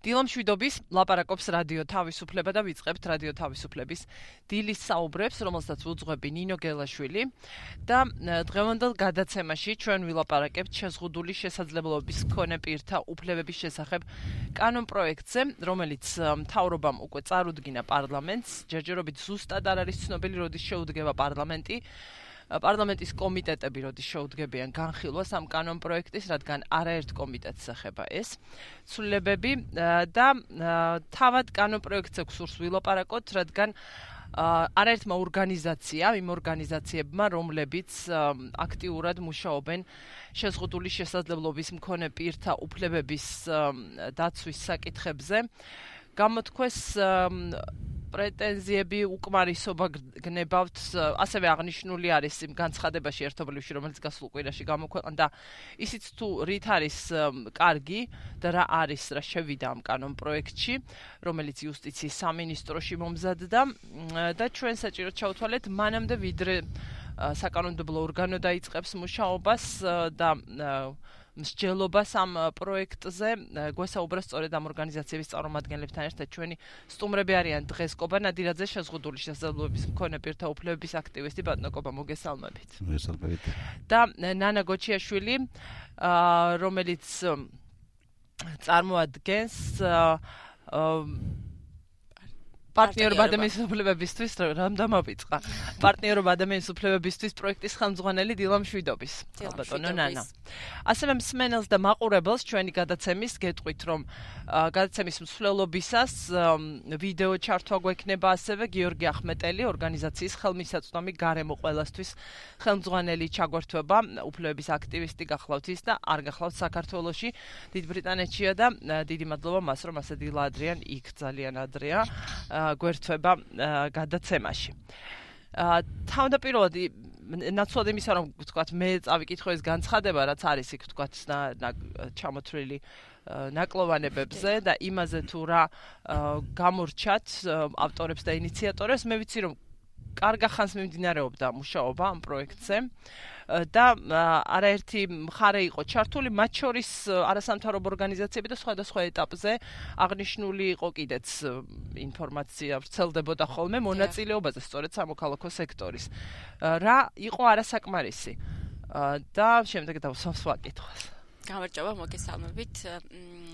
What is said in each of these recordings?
დილამ შვიდობის ლაპარაკობს რადიო თავისუფლება და ვიწყებთ რადიო თავისუფლების დილის საუბრებს, რომელსაც უძღვები ნინო გელაშვილი და დღევანდელ გადაცემაში ჩვენ ვილაპარაკებთ შეზღუდული შესაძლებლობის მქონე პირთა უფლებების შესახებ კანონპროექტზე, რომელიც მთავრობამ უკვე წარუდგინა პარლამენტს. ჯერჯერობით ზუსტად არ არის ცნობილი, როდის შეუდგება პარლამენტი. პარლამენტის კომიტეტები როდის შეუდგებიან განხილვას ამ კანონპროექტის, რადგან არაერთ კომიტეტს ეხება ეს ცვლილებები და თავად კანონპროექტზე გსურს ვილაპარაკოთ, რადგან არაერთმა ორგანიზაციამ, იმ ორგანიზაციებმა, რომლებიც აქტიურად მუშაობენ შეზღუდული შესაძლებლობის მქონე პირთა უფლებების დაცვის საკითხებზე, გამოთქვეს პრეტენზიები უკმარისობა გნებავთ, ასევე აღნიშნული არის იმ განცხადებაში ერთობლივში, რომელიც გასულ კვირაში გამოქვეყნდა, ისიც თუ რით არის კარგი და რა არის, რა შევიდა ამ კანონპროექტში, რომელიც იუსტიციის სამინისტროში მომზადდა და ჩვენ საჭიროდ ჩავთვალეთ მანამდე, ვიდრე საკანონმდებლო ორგანო დაიწყებს მუშაობას და მსჯელობას ამ პროექტზე, გვესაუბრა სწორედ ამ ორგანიზაციების წარმომადგენლებთან ერთად ჩვენი სტუმრები არიან დღეს კობა ნადირაძე, შეზღუდული შესაძლებლობის მქონე პირთა უფლებების აქტივისტი. ბატონო კობა, მოგესალმებით. მოგესალმებით. და ნანა გოჩიაშვილი, რომელიც წარმოადგენს პარტნიორობა ადამიანის უფლებებისთვის, რამ დამავიწყა. პარტნიორობა ადამიანის უფლებებისთვის პროექტის ხელმძღვანელი დილამ შვიდობის. ბატონო ნანა. ასევე მსმენელს და მაყურებელს ჩვენი გადაცემის გეტყვით, რომ გადაცემის მსვლელობისას ვიდეო ჩართვა გვექნება ასევე გიორგი ახმეტელი, ორგანიზაციის ხელმისაწვდომი გარემო ყველასთვის ხელმძღვანელი ჩაგვერთვება, უფლებების აქტივისტი გახლავთ ის და არ გახლავთ საქართველოში, დიდ ბრიტანეთშია და დიდი მადლობა მას, რომ ასე დილა ადრიან იქ ძალიან ადრეა. გვერთვება გადაცემაში. თავდაპირველად ნაცვლად იმისა, რომ ვთქვათ, მე წავიკითხო ეს განცხადება, რაც არის იქ ვთქვათ, ჩამოთვლილი ნაკლოვანებებზე და იმაზე თუ რა გამორჩათ ავტორებს და ინიციატორებს, მე ვიცი, რომ კარგა ხანს მიმდინარეობდა მუშაობა ამ პროექტზე და არაერთი მხარე იყო ჩართული, მათ შორის არასამთავრობო ორგანიზაციები და სხვადასხვა ეტაპზე აღნიშნული იყო კიდეც ინფორმაცია ვრცელდებოდა ხოლმე მონაწილეობაზე, სწორედ სამოქალაქო სექტორის. რა იყო არასაკმარისი და შემდეგ დავსვამს ვაკითხვას. გამარჯობა, მოგესალმებით.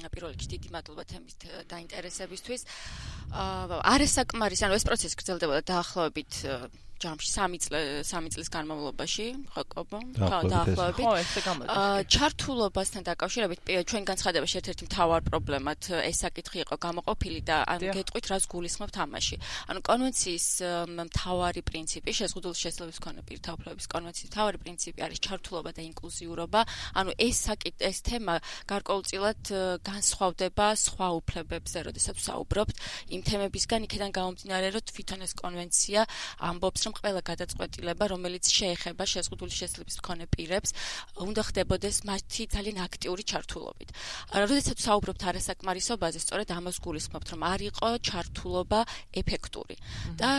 პირველ რიგში დიდი მადლობა თემის დაინტერესებისთვის. არასაკმარისი, ანუ ეს პროცესი გრძელდებოდა დაახლოებით ჯამში 3 წლის განმავლობაში, ხო, დაახლოებით. ხო, ესე გამოდის. ჩართულობასთან დაკავშირებით ჩვენ განცხადებაში ერთ-ერთი მთავარ პრობლემად ეს საკითხი იყო გამოყოფილი და გეტყვით, რას გულისხმობთ ამაში. ანუ კონვენციის მთავარი პრინციპი, შეზღუდული შესაძლებლობის მქონე პირთა უფლებების კონვენციის მთავარი პრინციპი არის ჩართულობა და ინკლუზიურობა. ანუ ეს თემა გარკვეულწილად განსხვავდება სხვა უფლებებზე, როდესაც ვსაუბრობთ იმ თემებისგან, იქიდან გამომდინარე, რომ თვითონ ეს კონვენცია ამბობს, რომ ყველა გადაწყვეტილება, რომელიც შეეხება შეზღუდული შესაძლებლობის მქონე პირებს, უნდა ხდებოდეს მათი ძალიან აქტიური ჩართულობით. როდესაც ვსაუბრობთ არასაკმარისობაზე, სწორედ ამას გულისხმობთ, რომ არ იყო ჩართულობა ეფექტური. და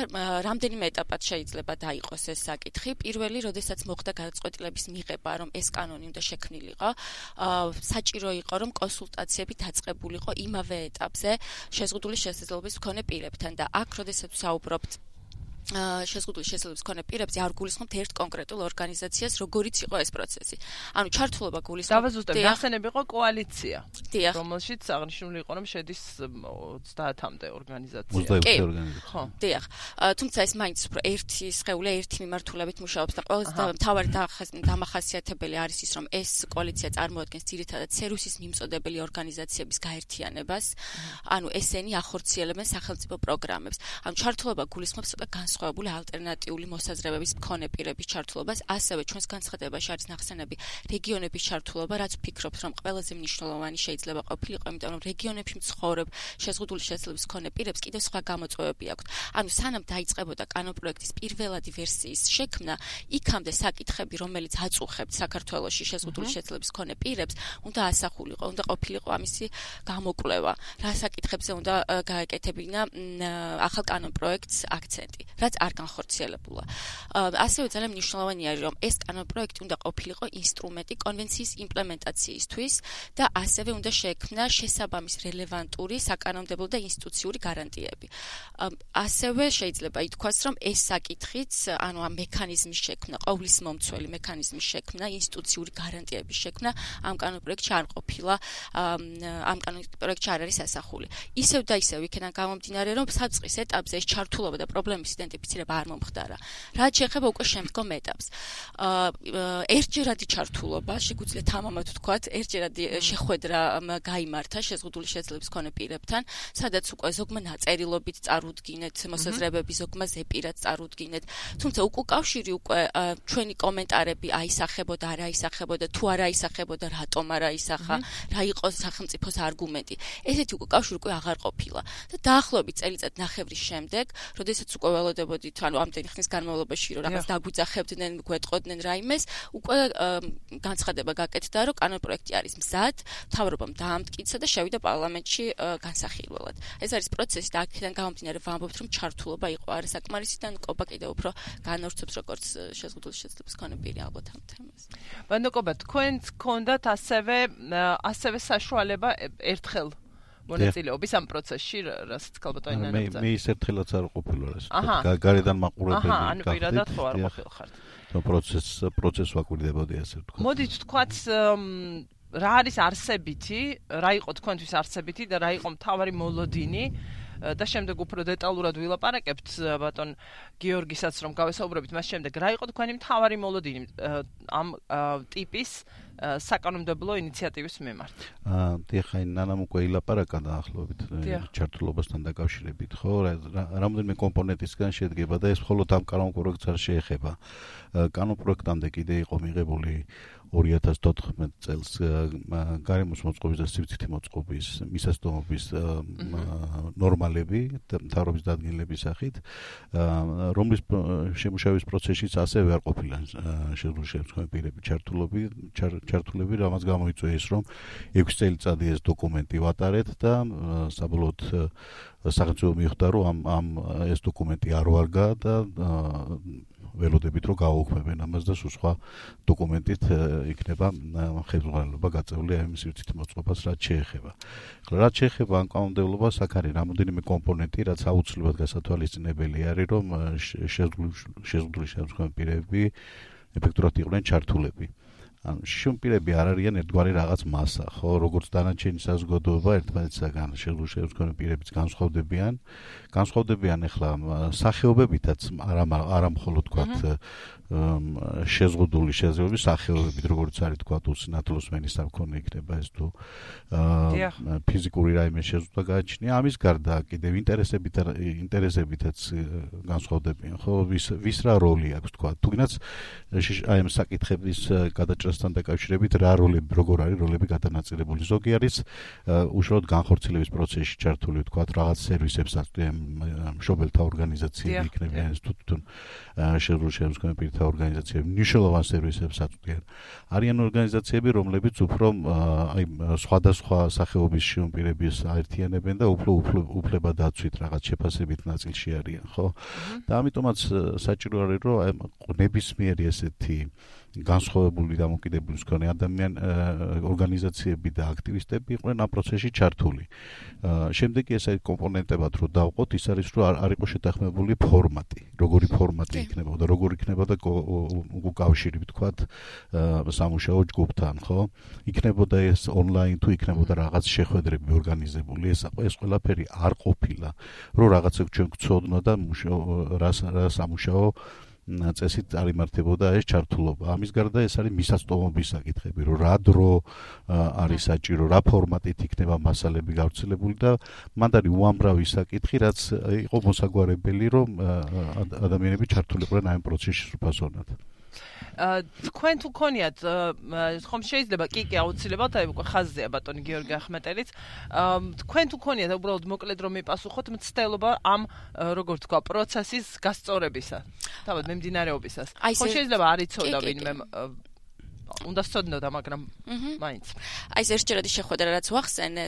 რამდენიმე ეტაპად შეიძლება დაიყოს ეს საკითხი. პირველი, როდესაც მოხდა გადაწყვეტილების მიღება, რომ ეს კანონი უნდა შექმნილიყო, საჭირო იყო, რომ კონსულტაციები დაწყებულიყო იმავე ეტაპზე შეზღუდული შესაძლებლობის მქონე პირებთან და აქ, როდესაც ვსაუბრობთ შეზღუდული შესაძლებლობის მქონე პირებზე, არ გულისხმობთ ერთ კონკრეტულ ორგანიზაციას, როგორიც იყო ეს პროცესი. ანუ ჩართულობა გულისხმობთ. დავაზუსტებ, ნახსენები იყო კოალიცია, რომელშიც აღნიშნული იყო, რომ შედის 30-მდე ორგანიზაცია. 25 ორგანიზაცია. ხო, დიახ. თუმცა ეს მაინც უფრო ერთი სხეული, ერთი მიმართულებით მუშაობს და ყველაზე მთავარი დამახასიათებელი არის ის, რომ ეს კოალიცია წარმოადგენს ძირითადად სერვისის მიმწოდებელი ორგანიზაციების გაერთიანებას, ანუ ესენი ახორციელებენ სახელმწიფო პროგრამებს. ანუ ჩართულობა გულისხმობს განსხვავებული ალტერნატიული მოსაზრებების მქონე პირების ჩართულობას, ასევე ჩვენს განცხადებაში არის ნახსენები რეგიონების ჩართულობა, რაც ვფიქრობთ, რომ ყველაზე მნიშვნელოვანი შეიძლება ყოფილიყო, იმიტომ რომ რეგიონებში მცხოვრებ შეზღუდული შესაძლებლობის მქონე პირებს კიდევ სხვა გამოწვევები აქვთ. ანუ სანამ დაიწყებოდა კანონპროექტის პირველადი ვერსიის შექმნა, იქამდე საკითხები, რომელიც აწუხებთ საქართველოში შეზღუდული შესაძლებლობის მქონე პირებს, უნდა ასახულიყო, უნდა ყოფილიყო ამისი გამოკვლევა. რა საკითხებზე უნდა გაეკეთებინა ახალ კანონპროექტს აქცენტი. რაც რაც არ განხორციელებულა. ასევე ძალიან მნიშვნელოვანია, რომ ეს კანონპროექტი უნდა ყოფილიყო ინსტრუმენტი კონვენციის იმპლემენტაციისთვის და ასევე უნდა შეექმნა შესაბამის რელევანტური საკანონმდებლო და ინსტიტუციური გარანტიები. ასევე შეიძლება ითქვას, რომ ეს საკითხიც, ანუ ამ მექანიზმის შექმნა, ყოვლის მომცველი მექანიზმის შექმნა, ინსტიტუციური გარანტიების შექმნა ამ კანონპროექტში არ ყოფილა, ამ კანონპროექტში არ არის ასახული. ისევ და ისევ იქიდან გამომდინარე, რომ საწყის ეტაპზე ეს ჩართულობა და პრობლემის იდენტიფიცირება არ მომხდარა. რაც შეეხება უკვე შემდგომ ეტაპს. ერთჯერადი ჩართულობა, შეგვიძლია თამამად ვთქვათ, ერთჯერადი შეხვედრა გაიმართა შეზღუდული შესაძლებლობის მქონე პირებთან, სადაც უკვე ზოგმა ნაწერილობით წარუდგინეთ მოსაზრებები, ზოგმა ზეპირად წარუდგინეთ. თუმცა უკავშირი უკვე ჩვენი კომენტარები აისახებოდა, არ აისახებოდა, თუ არ აისახებოდა, რატომ არ აისახა, რა იყო სახელმწიფოს არგუმენტი. ესეთი უკავშირი უკვე აღარ ყოფილა. და დაახლოებით წელიწად ნახევრის შემდეგ, როდესაც უკვე ველოდებოდით, ანუ ამდენი ხნის განმავლობაში, რომ რაღაც დაგვიძახებდნენ, გვეტყოდნენ რაიმეს, უკვე განცხადება გაკეთდა, რომ კანონპროექტი არის მზად, მთავრობამ დაამტკიცა და შევიდა პარლამენტში განსახილველად. ეს არის პროცესი და აქედან გამომდინარე ვამბობთ, რომ ჩართულობა იყო არასაკმარისი და კობა კიდევ უფრო განავრცობს როგორც შეზღუდული შესაძლებლობის მქონე პირი ალბათ ამ თემას. ვანდოკობა, თქვენც გქონდათ ასევე საშუალება ერთხელ მონაწილეობის ამ პროცესში, რასაც ქალბატონი ნანა. მე ის ერთხელაც არ ყოფილა ეს. გარედან მაყურებელი გახდით. ანუ პირადად ხო არ ყოფილხართ. პროცესს ვაკვირდებოდი ასე ვთქვათ. მოდით ვთქვათ რა არის არსებითი, რა იყო თქვენთვის არსებითი და რა იყო მთავარი მოლოდინი და შემდეგ უფრო დეტალურად ვილაპარაკებთ ბატონ გიორგისაც რომ გავესაუბრებით მას შემდეგ რა იყო თქვენი მთავარი მოლოდინი ამ ტიპის საკანონმდებლო ინიციატივის მიმართ. დიახ, ნანამ უკვე ილაპარაკა დაახლოებით ჩართულობასთან დაკავშირებით, ხო? რამდენიმე კომპონენტისგან შედგება და ეს მხოლოდ ამ კანონპროექტს არ შეეხება. კანონპროექტამდე კიდე იყო მიღებული 2014 წელს გარემოს მოწყობის და სივრცითი მოწყობის მისასტომობის ნორმალები მთავრობის დადგენილების სახით, რომლის შემუშავების პროცესშიც ასევე არ ყოფილა შეზღუდული შესაძლებლობის პირები ჩართულები, რამაც გამოიწვია ეს, რომ 6 წელიწადი ეს დოკუმენტი ვატარეთ და საბოლოოდ სახელმწიფო მიხვდა, რომ ამ ეს დოკუმენტი არ ვარგა და ველოდებით რომ გააუქმებენ ამას და სხვა დოკუმენტით იქნება ხელმძღვანელობა გაწეული ამ სივრცითი მოწყობას რაც შეეხება. რაც შეეხება ამ კანონმდებლობას, აქ არის რამოდენიმე კომპონენტი, რაც აუცილებლად გასათვალისწინებელი არის, რომ შეზღუდული შესაძლებლობის პირები ეფექტურად იყვნენ ჩართულები. ანუ შუმპირები არ არიან ერთგვარი რაღაც მასა, ხო, როგორც დანარჩენი საზოგადოება ერთმანეთისაგან შეზღუდული შესაძლებლობის პირებიც განსხვავდებიან ახლა სახეობებითაც, არა მხოლოდ თქვათ შეზღუდული შესაძლებლობის სახეობებით, როგორც არის თქვათ უსინათლოსმენის სამქონე იქნება ეს თუ ფიზიკური რაიმე შეზღუდვა გააჩნია, ამის გარდა კიდევ ინტერესებითაც განსხვავდებიან, ხო, ვის რა როლი აქვს თქვათ, თუნდაც აი ამ საკითხების გადაჭრასთან დაკავშირებით რა როლები, როგორ არის როლები გადანაწილებული. ზოგი არის უშუალოდ განხორციელების პროცესში ჩართული, თქვათ, რაღაც სერვისებს აწვდიან მშობელთა ორგანიზაციები იქნებიან ეს თვითონ შეზღუდული შესაძლებლობის პირთა ორგანიზაციები, მნიშვნელოვან სერვისებს აწვდიან. არიან ორგანიზაციები, რომლებიც უფრო აი სხვადასხვა სახეობის შიომპირების აერთიანებენ და უფლება დაცვით რაღაც შეფასებით ნაწილში არიან, ხო? და ამიტომაც საჭირო არის, რომ ნებისმიერი ესეთი განსხვავებული დამოკიდებულის მქონე ორგანიზაციები და აქტივისტები იყვნენ ამ პროცესში ჩართული. შემდეგი ეს კომპონენტებად რო დავყოთ, ის არის რომ არ იყო შეთანხმებული ფორმატი, როგორი ფორმატი იქნებოდა, როგორ იქნებოდა უკავშირი, ვთქვათ, სამუშაო ჯგუფთან, ხო? იქნებოდა ეს ონლაინ თუ იქნებოდა რაღაც შეხვედრები ორგანიზებული, ეს ყველაფერი არ ყოფილა, რომ რაღაცა ჩვენ გვცოდნო და რა სამუშაო წესით არ იმართებოდა ეს ჩართულობა. ამის გარდა ეს არის მისასტომობის საკითხები, რომ რა დრო არის საჭირო, რა ფორმატით იქნება მასალები გავრცელებული და მანდ არის უამრავი საკითხი, რაც იყო მოსაგვარებელი, რომ ადამიანები ჩართულიყვნენ ამ პროცესში სრულფასოვნად. თქვენ თუ გქონიათ ხომ შეიძლება კი აუცილებლად აი უკვე ხაზზეა ბატონი გიორგი ახმეტელიც თქვენ თუ გქონიათ უბრალოდ მოკლედ რომ მიპასუხოთ მცდელობა ამ როგორ თქვა პროცესის გასწორებისა თავად მიმდინარეობისას ხომ შეიძლება არ იცოდა ვინმე უნდა სწოდნოდა, მაგრამ მაინც. აი ეს ერთჯერადი შეხვედრა რაც ვახსენე,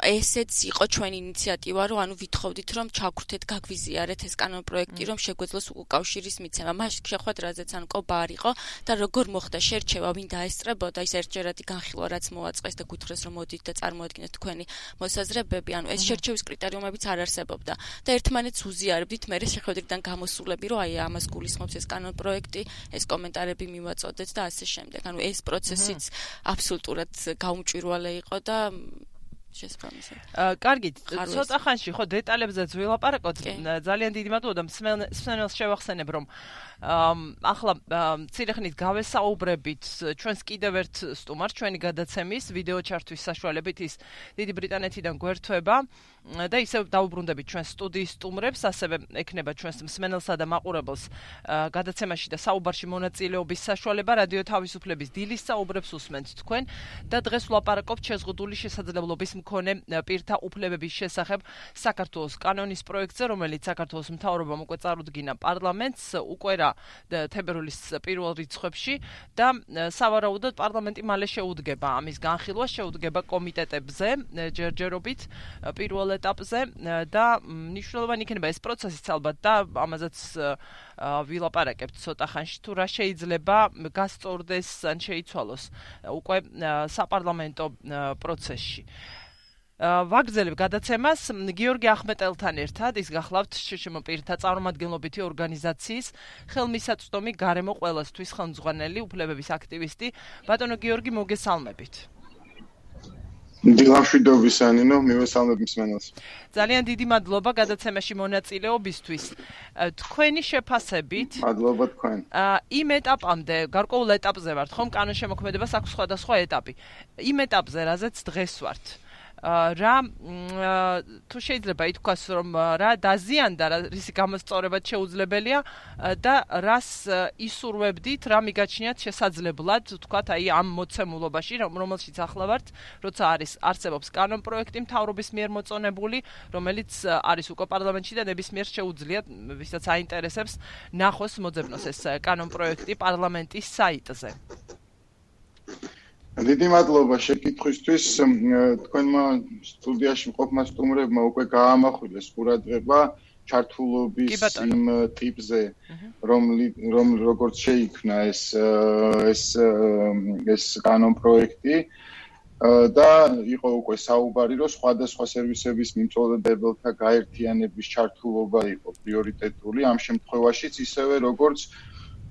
ესეც იყო ჩვენი ინიციატივა, რომ ანუ ვითხოვდით, რომ ჩაგვრთეთ, გაგვიზიარეთ ეს კანონ პროექტი, რომ შეგვეძლოს უკავშირის მიცემა. მაშინ შეხვედრაზეც ან კობა არ იყო და როგორ მოხდა შერჩევა, ვინ დაესწრებოდა ის ერთჯერადი განხილვა, რაც მოაწყეს და გითხრეს, რომ მოდით და წარმოადგინეთ თქვენი მოსაზრებები, ანუ ეს შერჩევის კრიტერიუმებიც არ არსებობდა და ერთმანეთს უზიარებდით, მე შეხვედრიდან გამოსულები, რომ აი ამას გულისხმობს ეს კანონ პროექტი, ეს კომენტარები მივაწოდეთ და ასე შემდეგ. ანუ ეს პროცესიც აბსოლუტურად გაუმჭვირვალე იყო და შესაბამისად. კარგით, ცოტა ხანში ხო დეტალებზეც ვილაპარაკოთ. ძალიან დიდი მადლობა და მსმენელს შევახსენებ, რომ ახლა მცირე ხნით გავესაუბრებით ჩვენს კიდევ ერთ სტუმარს, ჩვენი გადაცემის ვიდეო ჩართვის საშუალებით ის დიდი ბრიტანეთიდან გვერდება და ისევ დაუბრუნდებით ჩვენს სტუდიის სტუმრებს, ასევე ექნება ჩვენს მსმენელსა და მაყურებელს გადაცემაში და საუბარში მონაწილეობის საშუალება. რადიო თავისუფლების დილის საუბრებს უსმენთ თქვენ და დღეს ვლაპარაკობთ შეზღუდული შესაძლებლობის მქონე პირთა უფლებების შესახებ საქართველოს კანონის პროექტზე, რომელიც საქართველოს მთავრობამ უკვე წარუდგინა პარლამენტს უკვე რა თებერვლის პირველ რიცხვებში და სავარაუდოდ პარლამენტი მალე შეუდგება ამის განხილვას, შეუდგება კომიტეტებზე ჯერჯერობით პირველ ეტაპზე და მნიშვნელოვანი იქნება ეს პროცესიც ალბათ და ამაზეც ვილაპარაკებთ ცოტა ხანში თუ რა შეიძლება გასწორდეს ან შეიცვალოს უკვე საპარლამენტო პროცესში. ვაგრძელებ გადაცემას გიორგი ახმეტელთან ერთად, ის გახლავთ შშმ პირთა წარმომადგენლობითი ორგანიზაციის ხელმისაწვდომი გარემო ყველასთვის ხელმძღვანელი უფლებების აქტივისტი. ბატონო გიორგი, მოგესალმებით. დილამშვიდობის ანინო, მივესალმებ მსმენელს. ძალიან დიდი მადლობა გადაცემაში მონაწილეობისთვის. თქვენი შეფასებით, მადლობა თქვენ. იმ ეტაპამდე, გარკვეულ ეტაპზე ვართ, ხომ კანონშემოქმედებას აქვს სხვადასხვა ეტაპი. იმ ეტაპზე, რაზეც დღეს ვართ. რა თუ შეიძლება ითქვას, რომ რა დაზიანდა, რისი გამოსწორებაც შეუძლებელია და რას ისურვებდით, რა მიგაჩნიათ შესაძლებლად, თქვათ, აი ამ მოცემულობაში, რომელშიც ახლა ვართ, როცა არსებობს კანონ პროექტი მთავრობის მიერ მოწონებული, რომელიც არის უკვე პარლამენტში და ნებისმიერ შეუძლიათ, ვისაც აინტერესებს, ნახოს მოძებნოს ეს კანონ პროექტი პარლამენტის საიტზე. დიდი მადლობა შეკითხვისთვის. თქვენმა სტუდიაში მყოფმა სტუმრებმა უკვე გაამახვილეს ყურადღება ჩართულობის იმ ტიპზე, რომ როგორც შეიქმნა ეს კანონ პროექტი და იყო უკვე საუბარი, რომ სხვადასხვა სერვისების მიმწოდებელთა გაერთიანების ჩართულობა იყო პრიორიტეტული ამ შემთხვევაშიც, ისევე როგორც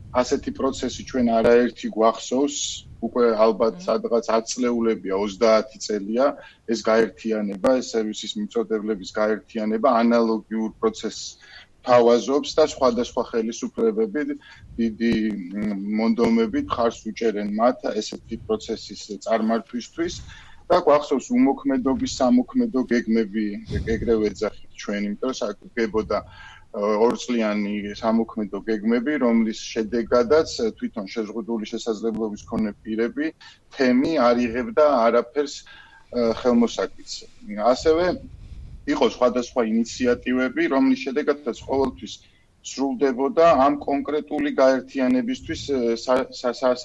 ასეთი პროცესი ჩვენ არაერთი გვახსოვს, უკვე ალბათ სადღაც 10 წლეულებია, 30 წელია ეს გაერთიანება, ეს სერვისის მიმწოდებლების გაერთიანება ანალოგიურ პროცესს თავაზობს და სხვადასხვა ხელისუფლებები დიდი მონდომებით ხარს უჭერენ მათ ესეთი პროცესის წარმართვისთვის და გვახსოვს უმოქმედობის სამოქმედო გეგმები, ეგრევე ეძახით ჩვენ, იმიტომ რომ საკუთრებოდა 2 წლიანი სამოქმედო გეგმები, რომლის შედეგადაც თვითონ შეზღუდული შესაძლებლობის მქონე პირები თემი არ იღებდა არაფერს ხელმოსაკიდს. ასევე იყო სხვადასხვა ინიციატივები, რომლის შედეგადაც ყოველთვის სრულდებოდა ამ კონკრეტული გაერთიანებისთვის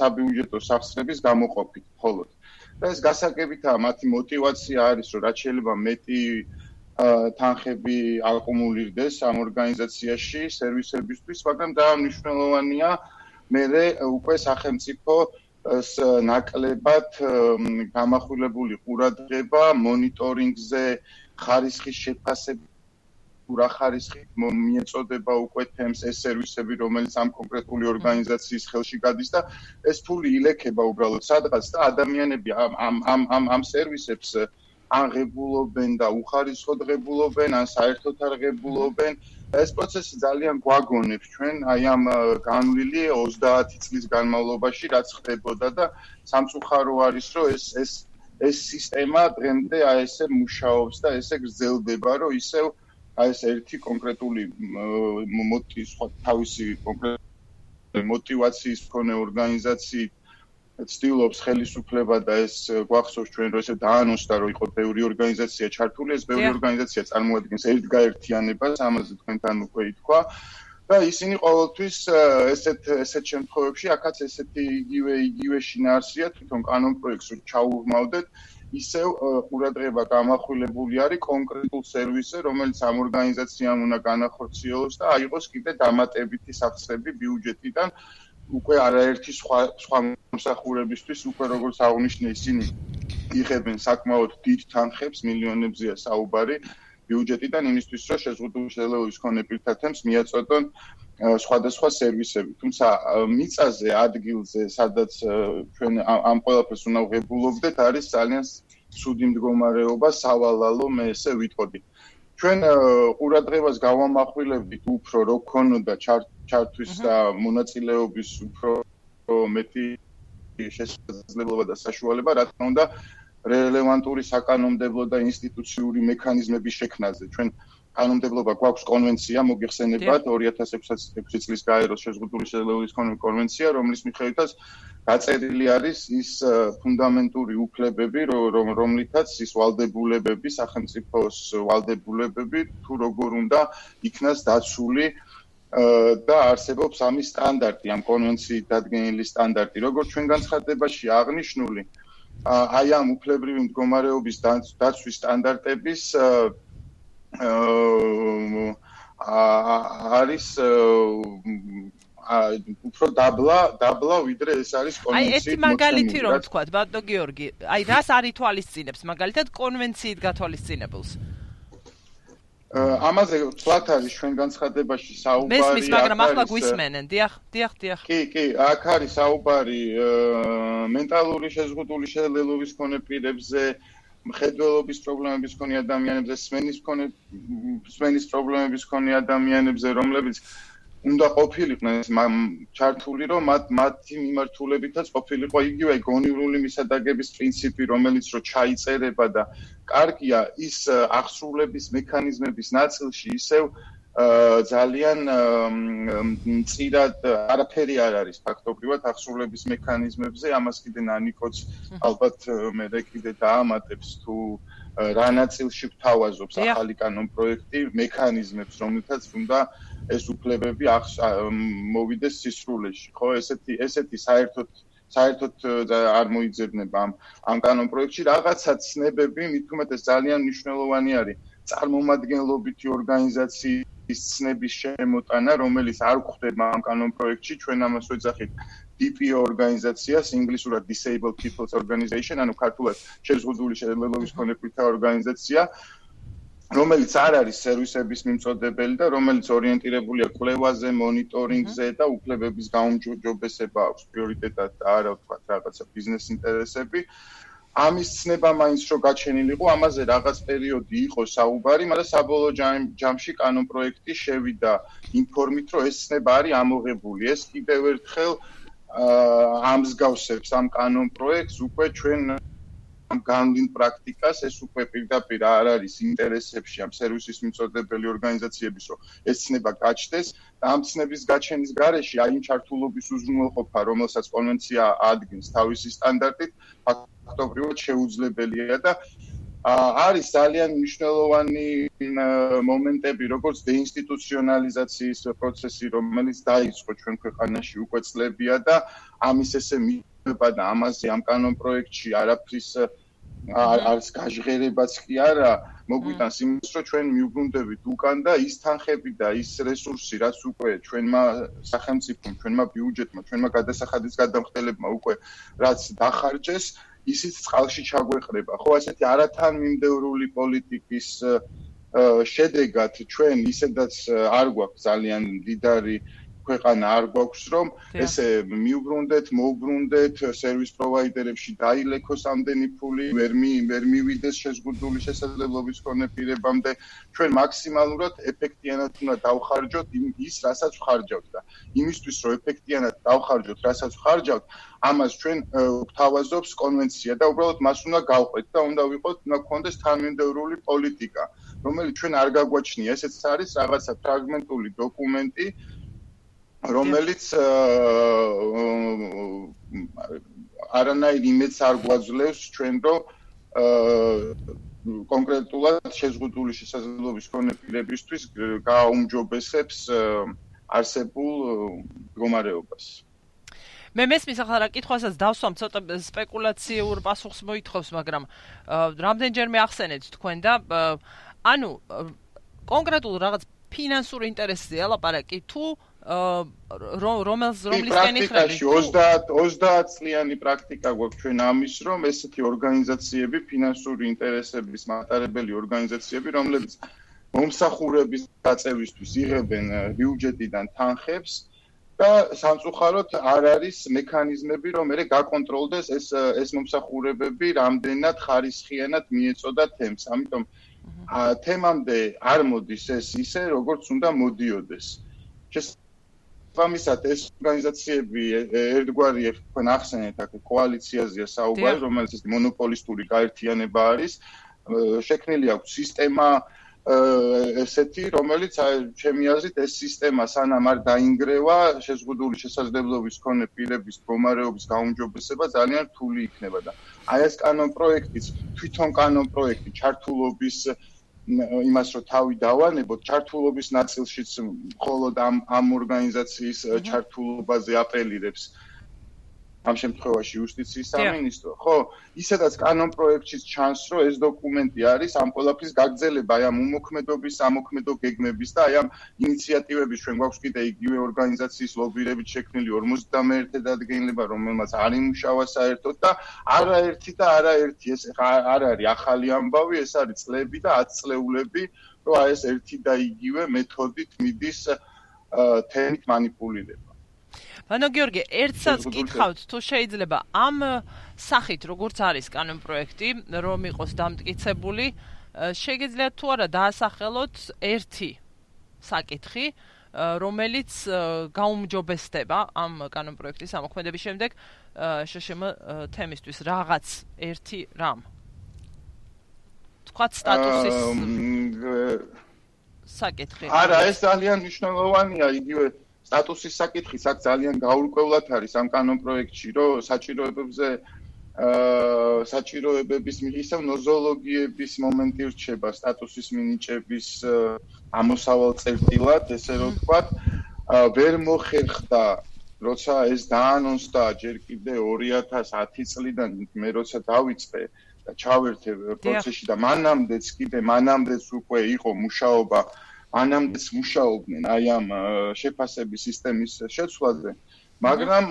საბიუჯეტო სახსრების გამოყოფით მხოლოდ. და ეს გასაგებითაა, მათი мотиваცია არის, რომ რაც შეიძლება მეტი თანხები აკუმულირდეს ამ ორგანიზაციაში სერვისებისთვის, მაგრამ დანიშნულოვანია მერე უკვე სახელმწიფო ნაკლებად გამახვილებული ყურადღება მონიტორინგზე, ხარისხის შეფასება, რა ხარისხით მიეწოდება უკვე თემს ეს სერვისები, რომელიც ამ კონკრეტული ორგანიზაციის ხელში გადის და ეს ფული ილექება უბრალოდ სადღაც და ადამიანები ამ სერვისებს აღებულობენ და უხარისხოდ ღებულობენ, ან საერთოდ არ ღებულობენ. ეს პროცესი ძალიან გვაგონებს ჩვენ აი ამ განვლილი 30 წლის განმავლობაში, რაც ხდებოდა და სამწუხარო არის, რომ ეს სისტემა დღემდე აი ესე მუშაობს და ესე გრძელდება, რომ ისევ აი ეს ერთი კონკრეტული თავისი კონკრეტული мотиваციის მქონე ორგანიზაცია ცდილობს ხელისუფლება და ეს გვახსოვს ჩვენ რომ ესე დაანონსდა რომ იყო ბევრი ორგანიზაცია ჩართული, ეს ბევრი ორგანიზაცია წარმოადგენს ერთ გაერთიანებას, ამაზე თქვენთან უკვე ითქვა და ისინი ყოველთვის ესეთ შემთხვევებში აქაც ესეთი იგივე შინაარსია თვითონ კანონ პროექტს რო ჩაურმავდეთ ისევ ყურადღება გამახვილებული არის კონკრეტულ სერვისზე, რომელიც ამ ორგანიზაციამ უნდა განახორციელოს და აიღოს კიდე დამატებითი სახსრები ბიუჯეტიდან უკვე არაერთი სხვა მომსახურებისთვის უკვე როგორც აღნიშნე ისინი იღებენ საკმაოდ დიდ თანხებს, მილიონებზეა საუბარი ბიუჯეტიდან იმისთვის, რომ შეზღუდული შეძლებლობის მქონე პირთათემს მიაწოდონ სხვადასხვა სერვისები. თუმცა მიწაზე, ადგილზე, სადაც ჩვენ ამ ყველაფერს უნდა ვღებულობდეთ, არის ძალიან ცუდი მდგომარეობა, სავალალო, მე ესე ვიტყოდი. ჩვენ ყურადღებას გავამახვილებდით უფრო რო ქონოდა ჩართვის და მონაწილეობის უფრო მეტი შესაძლებლობა და საშუალება, რა თქმა უნდა, რელევანტური საკანონმდებლო და ინსტიტუციური მექანიზმების შექმნაზე. ჩვენ კანონმდებლობა გვაქვს კონვენცია, მოგიხსენებათ 2006 წლის გაეროს შეზღუდული შეძლებლობის მქონე კონვენცია, რომლის მიხედვითაც დაწერილი არის ის ფუნდამენტური უფლებები, რომლითაც ის ვალდებულებები, სახელმწიფოს ვალდებულებები თუ როგორ უნდა იქნას დაცული და არსებობს ამის სტანდარტი, ამ კონვენციით დადგენილი სტანდარტი, როგორც ჩვენ განცხადებაში აღნიშნული, აი ამ უფლებრივი მდგომარეობის დაცვის სტანდარტების არის უფრო დაბლა ვიდრე ეს არის კონვენციით. აი ერთი მაგალითი რომ ვთქვათ, ბატონო გიორგი, აი რას არ ითვალისწინებს მაგალითად კონვენციით გათვალისწინებელს? ამაზე ვთქვათ არის ჩვენ განცხადებაში საუბარი. მესმის, მაგრამ ახლა გვისმენენ. დიახ. კი, აქ არის საუბარი მენტალური შეზღუდული შეძლებლობის მქონე პირებზე, მხედველობის პრობლემების მქონე ადამიანებზე, სმენის პრობლემების მქონე ადამიანებზე, რომლებიც უნდა ყოფილიყვნენ ჩართული, რომ მათი მიმართულებითაც ყოფილიყო იგივე გონივრული მისადაგების პრინციპი, რომელიც რო ჩაიწერება და კარგია ის აღსრულების მექანიზმების ნაწილში ისევ ძალიან მწირად არაფერი არ არის ფაქტობრივად აღსრულების მექანიზმებზე, ამას კიდე ნანიკოც ალბათ მე კიდე დაამატებს თუ რა ნაწილში გვთავაზობს ახალი კანონ პროექტი მექანიზმებს, რომლითაც უნდა ეს უფლებები მოვიდეს სისრულეში, ხო? ესეთი საერთოდ არ მოიძებნება ამ კანონ პროექტში რაღაცა ცნებები, მით უმეტეს ძალიან მნიშვნელოვანი არის წარმომადგენლობითი ორგანიზაციის ცნების შემოტანა, რომელიც არ გვხვდება ამ კანონ პროექტში, ჩვენ ამას ვეძახით DPO ორგანიზაციას, ინგლისურად Disabled People's Organization, ანუ ქართულად შეზღუდული შეძლებლობის მქონე პირთა ორგანიზაცია, რომელიც არ არის სერვისების მიმწოდებელი და რომელიც ორიენტირებულია კვლევაზე, მონიტორინგზე და უფლებების გაუმჯობესება აქვს პრიორიტეტად და არა ვთქვათ რაღაცა ბიზნეს ინტერესები. ამის ცნება მაინც რო გაჩენილიყო, ამაზე რაღაც პერიოდი იყო საუბარი, მაგრამ საბოლოო ჯამში კანონ პროექტი შევიდა ინფორმით, რომ ეს ცნება არის ამოღებული. ეს კიდევ ერთხელ ამსგავსებს ამ კანონ პროექტს უკვე ჩვენ განვლილ პრაქტიკას, ეს უკვე პირდაპირ არ არის ინტერესებში ამ სერვისის მიმწოდებელი ორგანიზაციების, რომ ეს ცნება გაჩნდეს და ამ ცნების გაჩენის გარეშე აი იმ ჩართულობის უზრუნველყოფა, რომელსაც კონვენცია ადგენს თავისი სტანდარტით, ფაქტობრივად შეუძლებელია და არის ძალიან მნიშვნელოვანი მომენტები, როგორც დეინსტიტუციონალიზაციის პროცესი, რომელიც დაიწყო ჩვენ ქვეყანაში უკვე წლებია და ამის ესე მიება და ამაზე ამ კანონ პროექტში არაფრის არის გაჟღერებაც კი არა, მოგვიტანს იმას, რომ ჩვენ მიუბრუნდებით უკან და ის თანხები და ის რესურსი, რაც უკვე ჩვენმა სახელმწიფომ, ჩვენმა ბიუჯეტმა, ჩვენმა გადასახადის გადამხდელებმა უკვე რაც დახარჯეს, ისიც წყალში ჩაგვეყრება. ხო, ასეთი არათანმიმდევრული პოლიტიკის შედეგად ჩვენ ისედაც არ გვაქვს ძალიან მდიდარი ქვეყანა არ გვაქვს, რომ ესე მიუბრუნდეთ, მოვბრუნდეთ სერვის პროვაიდერებში დაილექოს ამდენი ფული, ვერ მივიდეს შეზღუდული შესაძლებლობის მქონე პირებამდე. ჩვენ მაქსიმალურად ეფექტიანად უნდა დავხარჯოთ ის, რასაც ვხარჯავთ და იმისთვის, რომ ეფექტიანად დავხარჯოთ, რასაც ვხარჯავთ, ამას ჩვენ გვთავაზობს კონვენცია და უბრალოდ მას უნდა გავყვეთ და უნდა გქონდეს თანმიმდევრული პოლიტიკა, რომელიც ჩვენ არ გაგვაჩნია. ესეც არის რაღაცა ფრაგმენტული დოკუმენტი, რომელიც არანაირ იმედს არ გვაძლევს ჩვენ, რომ კონკრეტულად შეზღუდული შესაძლებლობის მქონე პირებისთვის გააუმჯობესებს არსებულ მდგომარეობას. მე მესმის ახლა რა კითხვასაც დავსვამ ცოტა სპეკულაციურ პასუხს მოითხოვს, მაგრამ რამდენჯერმე ახსენეთ თქვენ და ანუ კონკრეტულ რაღაც ფინანსურ ინტერესზე ლაპარაკი თუ რომლისკენ იხრები 30 წლიანი პრაქტიკა გვაქვს ჩვენ ამის, რომ ესეთი ორგანიზაციები, ფინანსური ინტერესების მატარებელი ორგანიზაციები, რომლებიც მომსახურების დაწევისთვის იღებენ ბიუჯეტიდან თანხებს და სამწუხაროდ არ არის მექანიზმები, რომ მე გაკონტროლდეს ეს მომსახურებები რამდენად ხარისხიანად მიეწოდა თემს. ამიტომ თემამდე არ მოდის ეს ისე, როგორც უნდა მოდიოდეს. შესაბამისად ეს ორგანიზაციები ერთგვარი თქვენ ახსენეთ აქ კოალიციაზეა საუბარი, რომელიც მონოპოლისტური გაერთიანება არის. შექმნილი აქვს სისტემა ესეთი, რომელიც ჩემი აზრით ეს სისტემა სანამ არ დაინგრევა, შეზღუდული შესაძლებლობის მქონე პირების მდგომარეობის გაუმჯობესება ძალიან რთული იქნება და აი ეს კანონპროექტიც, თვითონ კანონპროექტი ჩართულობის იმას რომ თავი დავანებოთ, ჩართულობის ნაწილშიც მხოლოდ ამ ორგანიზაციის ჩართულობაზე აპელირებს ამ შემთხვევაში იუსტიციის სამინისტრო, ხო, ისედაც კანონპროექტშიც ჩანს, რომ ეს დოკუმენტი არის ამ ყველაფრის გაგრძელება, აი ამ უმოქმედობის, ამოქმედო გეგმების და აი ამ ინიციატივების ჩვენ გვაქვს კიდე იგივე ორგანიზაციის ლობირებით შექმნილი 51 დადგენილება, რომელმაც არ იმუშავა საერთოდ და არაერთი ეს არ არის ახალი ამბავი, ეს არის წლები და 10 წლეულები, რომ აი ეს ერთი და იგივე მეთოდით მიდის თემით მანიპულირება. ბანო გიორგი, ერთსაც გითხავთ თუ შეიძლება ამ სახით როგორც არის კანონპროექტი, რომ იყოს დამტკიცებული, შეგიძლიათ თუ არა დაასახელოთ ერთი საკითხი, რომელიც გაუმჯობესდება ამ კანონპროექტის ამოქმედების შემდეგ შშმ თემისთვის რაღაც ერთი რამ. თქვათ სტატუსის საკითხი. არა, ეს ძალიან მნიშვნელოვანია იგივე სტატუსის საკითხი აქ ძალიან გაურკვევლად არის ამ კანონპროექტში, რომ საჭიროებების ისევ ნოზოლოგიების მომენტი რჩება სტატუსის მინიჭების ამოსავალ წერტილად, ესე რომ ვთქვათ, ვერ მოხერხდა, როცა ეს დაანონსდა ჯერ კიდე 2010 წლიდან მე როცა დავიწყე და ჩავერთე პროცესში და მანამდეც უკვე იყო მუშაობა ანამდეც მუშაობდნენ აი ამ შეფასების სისტემის შეცვლაზე, მაგრამ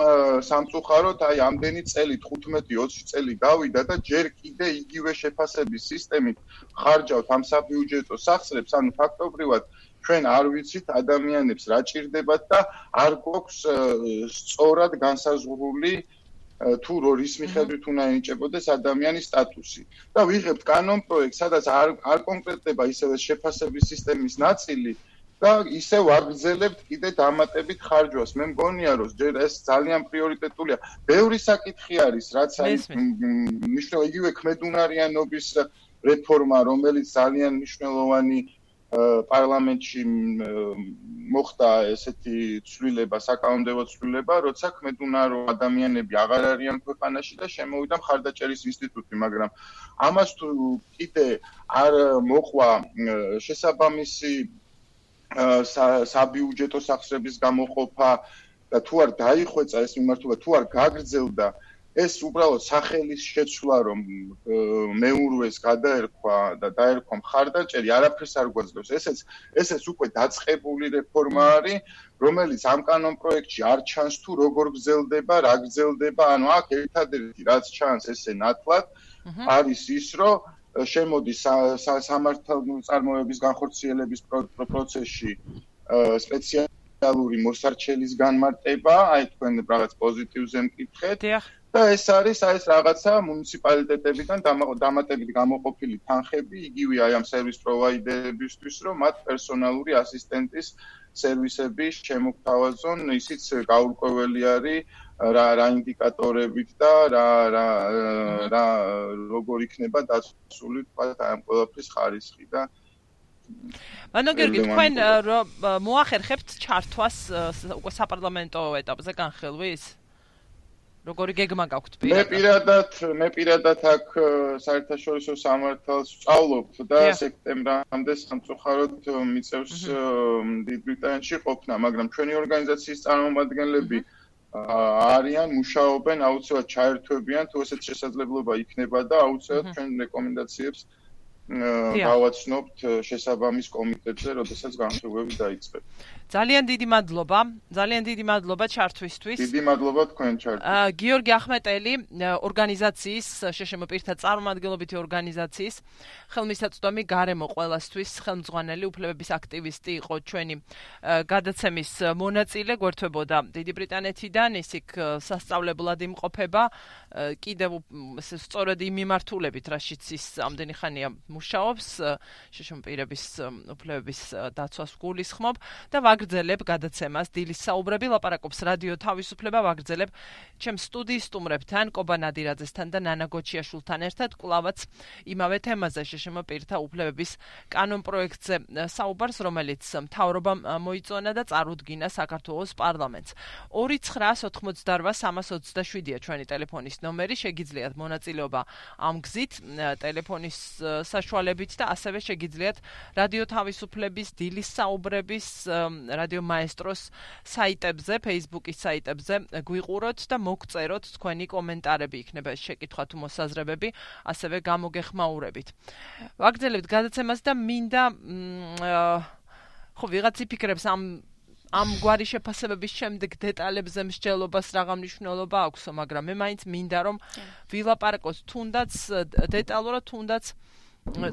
სამწუხაროდ აი ამდენი წელი 15-20 წელი გავიდა და ჯერ კიდე იგივე შეფასების სისტემით ხარჯავთ ამ საბიუჯეტო სახსრებს, ანუ ფაქტობრივად ჩვენ არ ვიცით ადამიანებს რა ჭირდებათ და არ გვაქვს სწორად განსაზღვრული თუ რის მიხედვით უნდა ენიჭებოდეს ადამიანის სტატუსი. და ვიღებთ კანონპროექტს, სადაც არ კონკრეტდება ისევ შეფასების სისტემის ნაწილი და ისევ აგრძელებთ კიდე დამატებით ხარჯვას. მე მგონია, რომ ჯერ ეს ძალიან პრიორიტეტულია. ბევრი საკითხი არის, რაც არის მნიშვნელოვანი, იგივე ქმედუნარიანობის რეფორმა, რომელიც ძალიან მნიშვნელოვანი პარლამენტში მოხდა ესეთი ცვლილება, საკანონმდებლო ცვლილება, როცა ქმედუნარო ადამიანები აღარ არიან ქვეყანაში და შემოვიდა მხარდაჭერის ინსტიტუტი, მაგრამ ამას თუ კიდე არ მოყვა შესაბამისი საბიუჯეტო სახსრების გამოყოფა და თუ არ დაიხვეწა ეს მიმართულება, თუ არ გაგრძელდა ეს უბრალოდ სახელის შეცვლა, რომ მეურვეს გადაერქვა და დაერქვა მხარდაჭერი, არაფერს არ გვაძლევს. ესეც უკვე დაწყებული რეფორმა არის, რომელიც ამ კანონპროექტში არ ჩანს თუ როგორ გრძელდება, რა გრძელდება, ანუ აქ ერთადერთი რაც ჩანს ესე ნათლად არის ის, რომ შემოდის სამართალდამცავების განხორციელების პროცესში სპეციალური მოსარჩელის განმარტება, აი თქვენ რაღაც პოზიტივზე მკითხეთ. და ეს არის ეს რაღაცა მუნიციპალიტეტებიდან დამატებით გამოყოფილი თანხები, იგივე აი ამ სერვის პროვაიდერებისთვის, რომ მათ პერსონალური ასისტენტის სერვისები შემოგთავაზონ, ისიც გაურკვეველი არის რა ინდიკატორებით და რა როგორ იქნება დაცული თქვა ამ ყველაფრის ხარისხი და ბანო გიორგი, თქვენ მოახერხებთ ჩართვას უკვე საპარლამენტო ეტაპზე განხილვის? როგორი გეგმა გაქვთ პირადად? მე პირადად აქ საერთაშორისო სამართალს ვსწავლობთ და სექტემბრამდე სამწუხაროდ მიწევს დიდ ბრიტანეთში ყოფნა, მაგრამ ჩვენი ორგანიზაციის წარმომადგენლები არიან, მუშაობენ, აუცილებლად ჩაერთვებიან, თუ ესეთ შესაძლებლობა იქნება და აუცილებლად ჩვენ რეკომენდაციებს გავაცნობთ შესაბამის კომიტეტზე, როდესაც განხილვები დაიწყება. ძალიან დიდი მადლობა ჩართვისთვის. დიდი მადლობა თქვენ ჩართვისთვის. გიორგი ახმეტელი, ორგანიზაციის შშმ პირთა წარმომადგენლობითი ორგანიზაციის ხელმისაწვდომი გარემო ყველასთვის ხელმძღვანელი უფლებების აქტივისტი იყო ჩვენი გადაცემის მონაწილე, გვერდებოდა დიდი ბრიტანეთიდან, ის იქ სასწავლებლად იმყოფება, კიდევ სწორედ იმ მიმართულებით, რაშიც ის ამდენი ხანია მუშაობს, შშმ პირების უფლებების დაცვას გულისხმობ და ვაგრძელებ გადაცემას დილის საუბრები, ლაპარაკობს რადიო თავისუფლება, ვაგრძელებ ჩემ სტუდიის სტუმრებთან, კობა ნადირაძესთან და ნანა გოჩიაშვილთან ერთად, კვლავაც იმავე თემაზე შშმ პირთა უფლებების კანონპროექტზე საუბარს, რომელიც მთავრობამ მოიწონა და წარუდგინა საქართველოს პარლამენტს. 2988327-ია ჩვენი ტელეფონის ნომერი, შეგიძლიათ მონაწილეობა ამ გზით, ტელეფონის საშუალებით და ასევე შეგიძლიათ რადიო თავისუფლების დილის საუბრების რადიო მაესტროს საიტებზე, Facebook-ის საიტებზე გვიყუროთ და მოგწეროთ თქვენი კომენტარები, იქნება შეკითხვა თუ მოსაზრებები, ასევე გამოგეხმაურებით. ვაგრძელებთ გადაცემას და მინდა ვიღაც იფიქრებს ამ გვარი შეფასებების შემდეგ დეტალებზე მსჯელობას რაღა მნიშვნელობა აქვს, მაგრამ მე მაინც მინდა რომ ვილაპარაკოთ თუნდაც დეტალურად, თუნდაც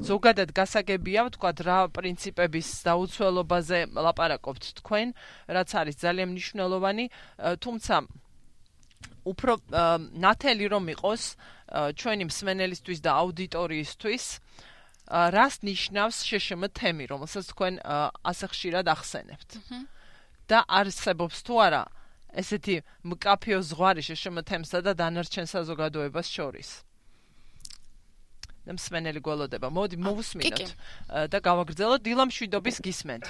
ზოგადად გასაგებია, ვთქვათ, რა პრინციპების დაუცველობაზე ლაპარაკობთ თქვენ, რაც არის ძალიან მნიშვნელოვანი, თუმცა უფრო ნათელი რომ იყოს ჩვენი მსმენელისთვის და აუდიტორიისთვის, რას ნიშნავს შშმ თემი, რომელსაც თქვენ ასე ხშირად ახსენებთ. და არსებობს თუ არა ესეთი მკაფიო ზღვარი შშმ თემსა და დანარჩენ საზოგადოებას შორის. მსმენელი გველოდება. მოდი მოვუსმინოთ და გავაგრძელოთ. დილამშვიდობის გისმენთ.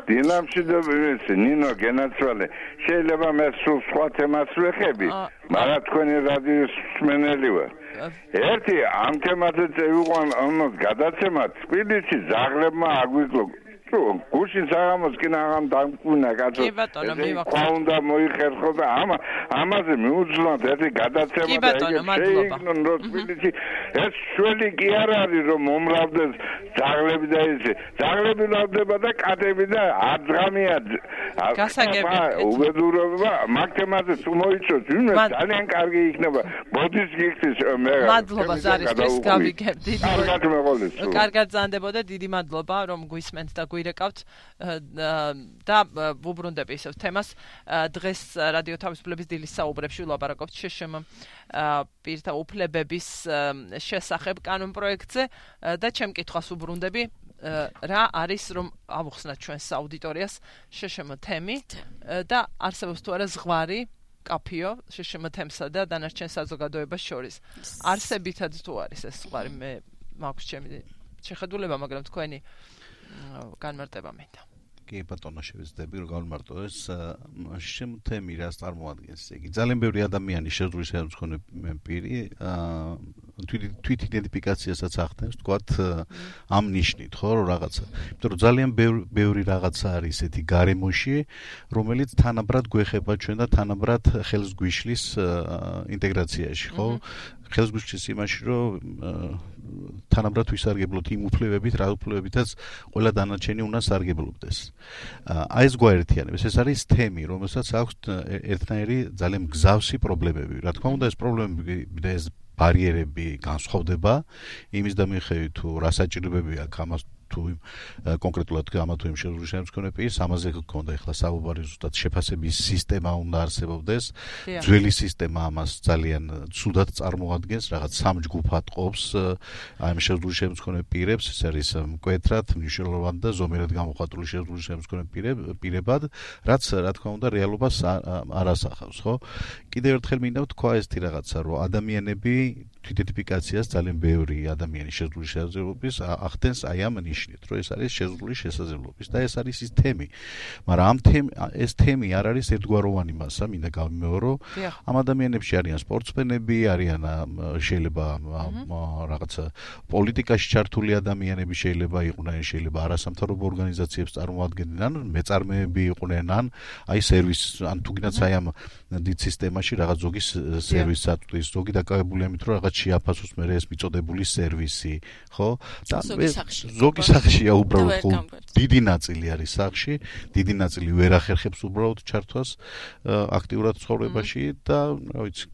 დილამშვიდობის, ნინო გენაცვალე. შეიძლება მე სულ სხვა თემას ვეხები, მაგრამ თქვენი რადიოს მსმენელი ვარ. ერთი ამ თემაზე წევიყვან გადაცემა თბილისში ზაღლებმა აგვიკლო. გუშინ საღამოს კი ნაღამ დამკვნა კაცო. უნდა მოიხერხო და ამაზე მიუძვნოთ ერთი გადაცემა და შეიგნო თბილისში. ეს შველი კი არ არის რომ მომრავლდეს ზაღლები და ესე. ზაღლები ვლავდება და კატები და აძღამია. უბედურება მაგ თემაზე თუ მოიწოთ, ძალიან კარგი იქნება. ბოდის გიხდის მე. მადლობა ზარისთვის გავიგებთ. კარგად ზანდებოდა, დიდი მადლობა რომ გვისმენთ და გვირეკავთ და ვუბრუნდები ისევ თემას. დღეს რადიო თავისუფლების დილის საუბრებში ვლაპარაკობთ შშმ პირთა უფლებების შესახებ კანონპროექტზე და ჩემ კითხვას ვუბრუნდები. რა არის რომ ავუხსნათ ჩვენს აუდიტორიას შშმ თემი და არსებობს თუ არა ზღვარი კაფიო შშმ თემსა და დანარჩენ საზოგადოებას შორის. არსებითად თუ არის ეს ზღვარი, მე მაქვს ჩემი შეხედულება, მაგრამ თქვენი განმარტება მინდა. კი ბატონო შევეცდები რომ გავმარტო ეს შშმ თემი რას წარმოადგენს. იგი ძალიან ბევრი ადამიანი შეძლოს ხელმძღვანელი პირი თვით იდენტიფიკაციასაც ახდენს, თქვათ ამ ნიშნით, ხო, რომ რაღაცა. იმიტომ რომ ძალიან ბევრი რაღაცა არის ესეთი გარემოში, რომელიც თანაბრად გვეხება ჩვენ და თანაბრად ხელს გვიშლის ინტეგრაციაში, ხო? ხელს გვიშლის იმაში, რომ თანაბრად ვისარგებლოთ იმ უფლებებით, რა უფლებებითაც ყველა დანარჩენი უნდა სარგებლობდეს. აი ეს გვაერთიანებს, ეს არის თემი, რომელსაც აქვს ერთნაირი ძალიან მგზავსი პრობლემები. რა თქმა უნდა, ეს პრობლემები და ეს ბარიერები განსხვავდება იმის და მიხედვით თუ რა საჭიროებები აქვს ამას თუ კონკრეტულად ამა თუ იმ შეძლოს მქონე პირს, ამაზე გქონდა ახლა საუბარი, ზუსტად შეფასების სისტემა უნდა არსებობდეს. ძველი სისტემა ამას ძალიან ცუდად წარმოადგენს, რაღაც სამ ჯგუფად ყოფს აი ამ შეძლოს მქონე პირებს, ეს არის მკვეთრად, მნიშვნელოვანი და ზომიერად გამოხატული შეძლოს მქონე პირებად, რაც რა თქმა უნდა რეალობას არ ასახავს, ხო? კიდევ ერთხელ მინდა ვთქვა ესეთი რაღაცა, რომ ადამიანები თვითიდენტიფიკაციას ძალიან ბევრი ადამიანის შეზღუდული შესაძლებლობის ახდენს აი ამ ნიშნით, რომ ეს არის შეზღუდული შესაძლებლობის და ეს არის ის თემი. მაგრამ ეს თემი არ არის ერთგვაროვანი მასა, მინდა გავიმეორო. ამ ადამიანებში არიან სპორტსმენები, არიან შეიძლება რაღაცა პოლიტიკაში ჩართული ადამიანები შეიძლება იყვნენ, შეიძლება არასამთავრობო ორგანიზაციებს წარმოადგენდნენ, ან მეწარმეები იყვნენ, ან აი სერვის, ან თუნდაც აი ამ დიდ სისტემაში რაღაც ზოგი სერვისს აწვდის, ზოგი დაკავებული ამით, რომ რაღაც შეაფასოს მე ეს მიწოდებული სერვისი, ხო? და ზოგი სახშია უბრალოდ დიდი ნაწილი არის სახში, დიდი ნაწილი ვერ ახერხებს უბრალოდ ჩართვას აქტიურად ცხოვრებაში და რა ვიცი.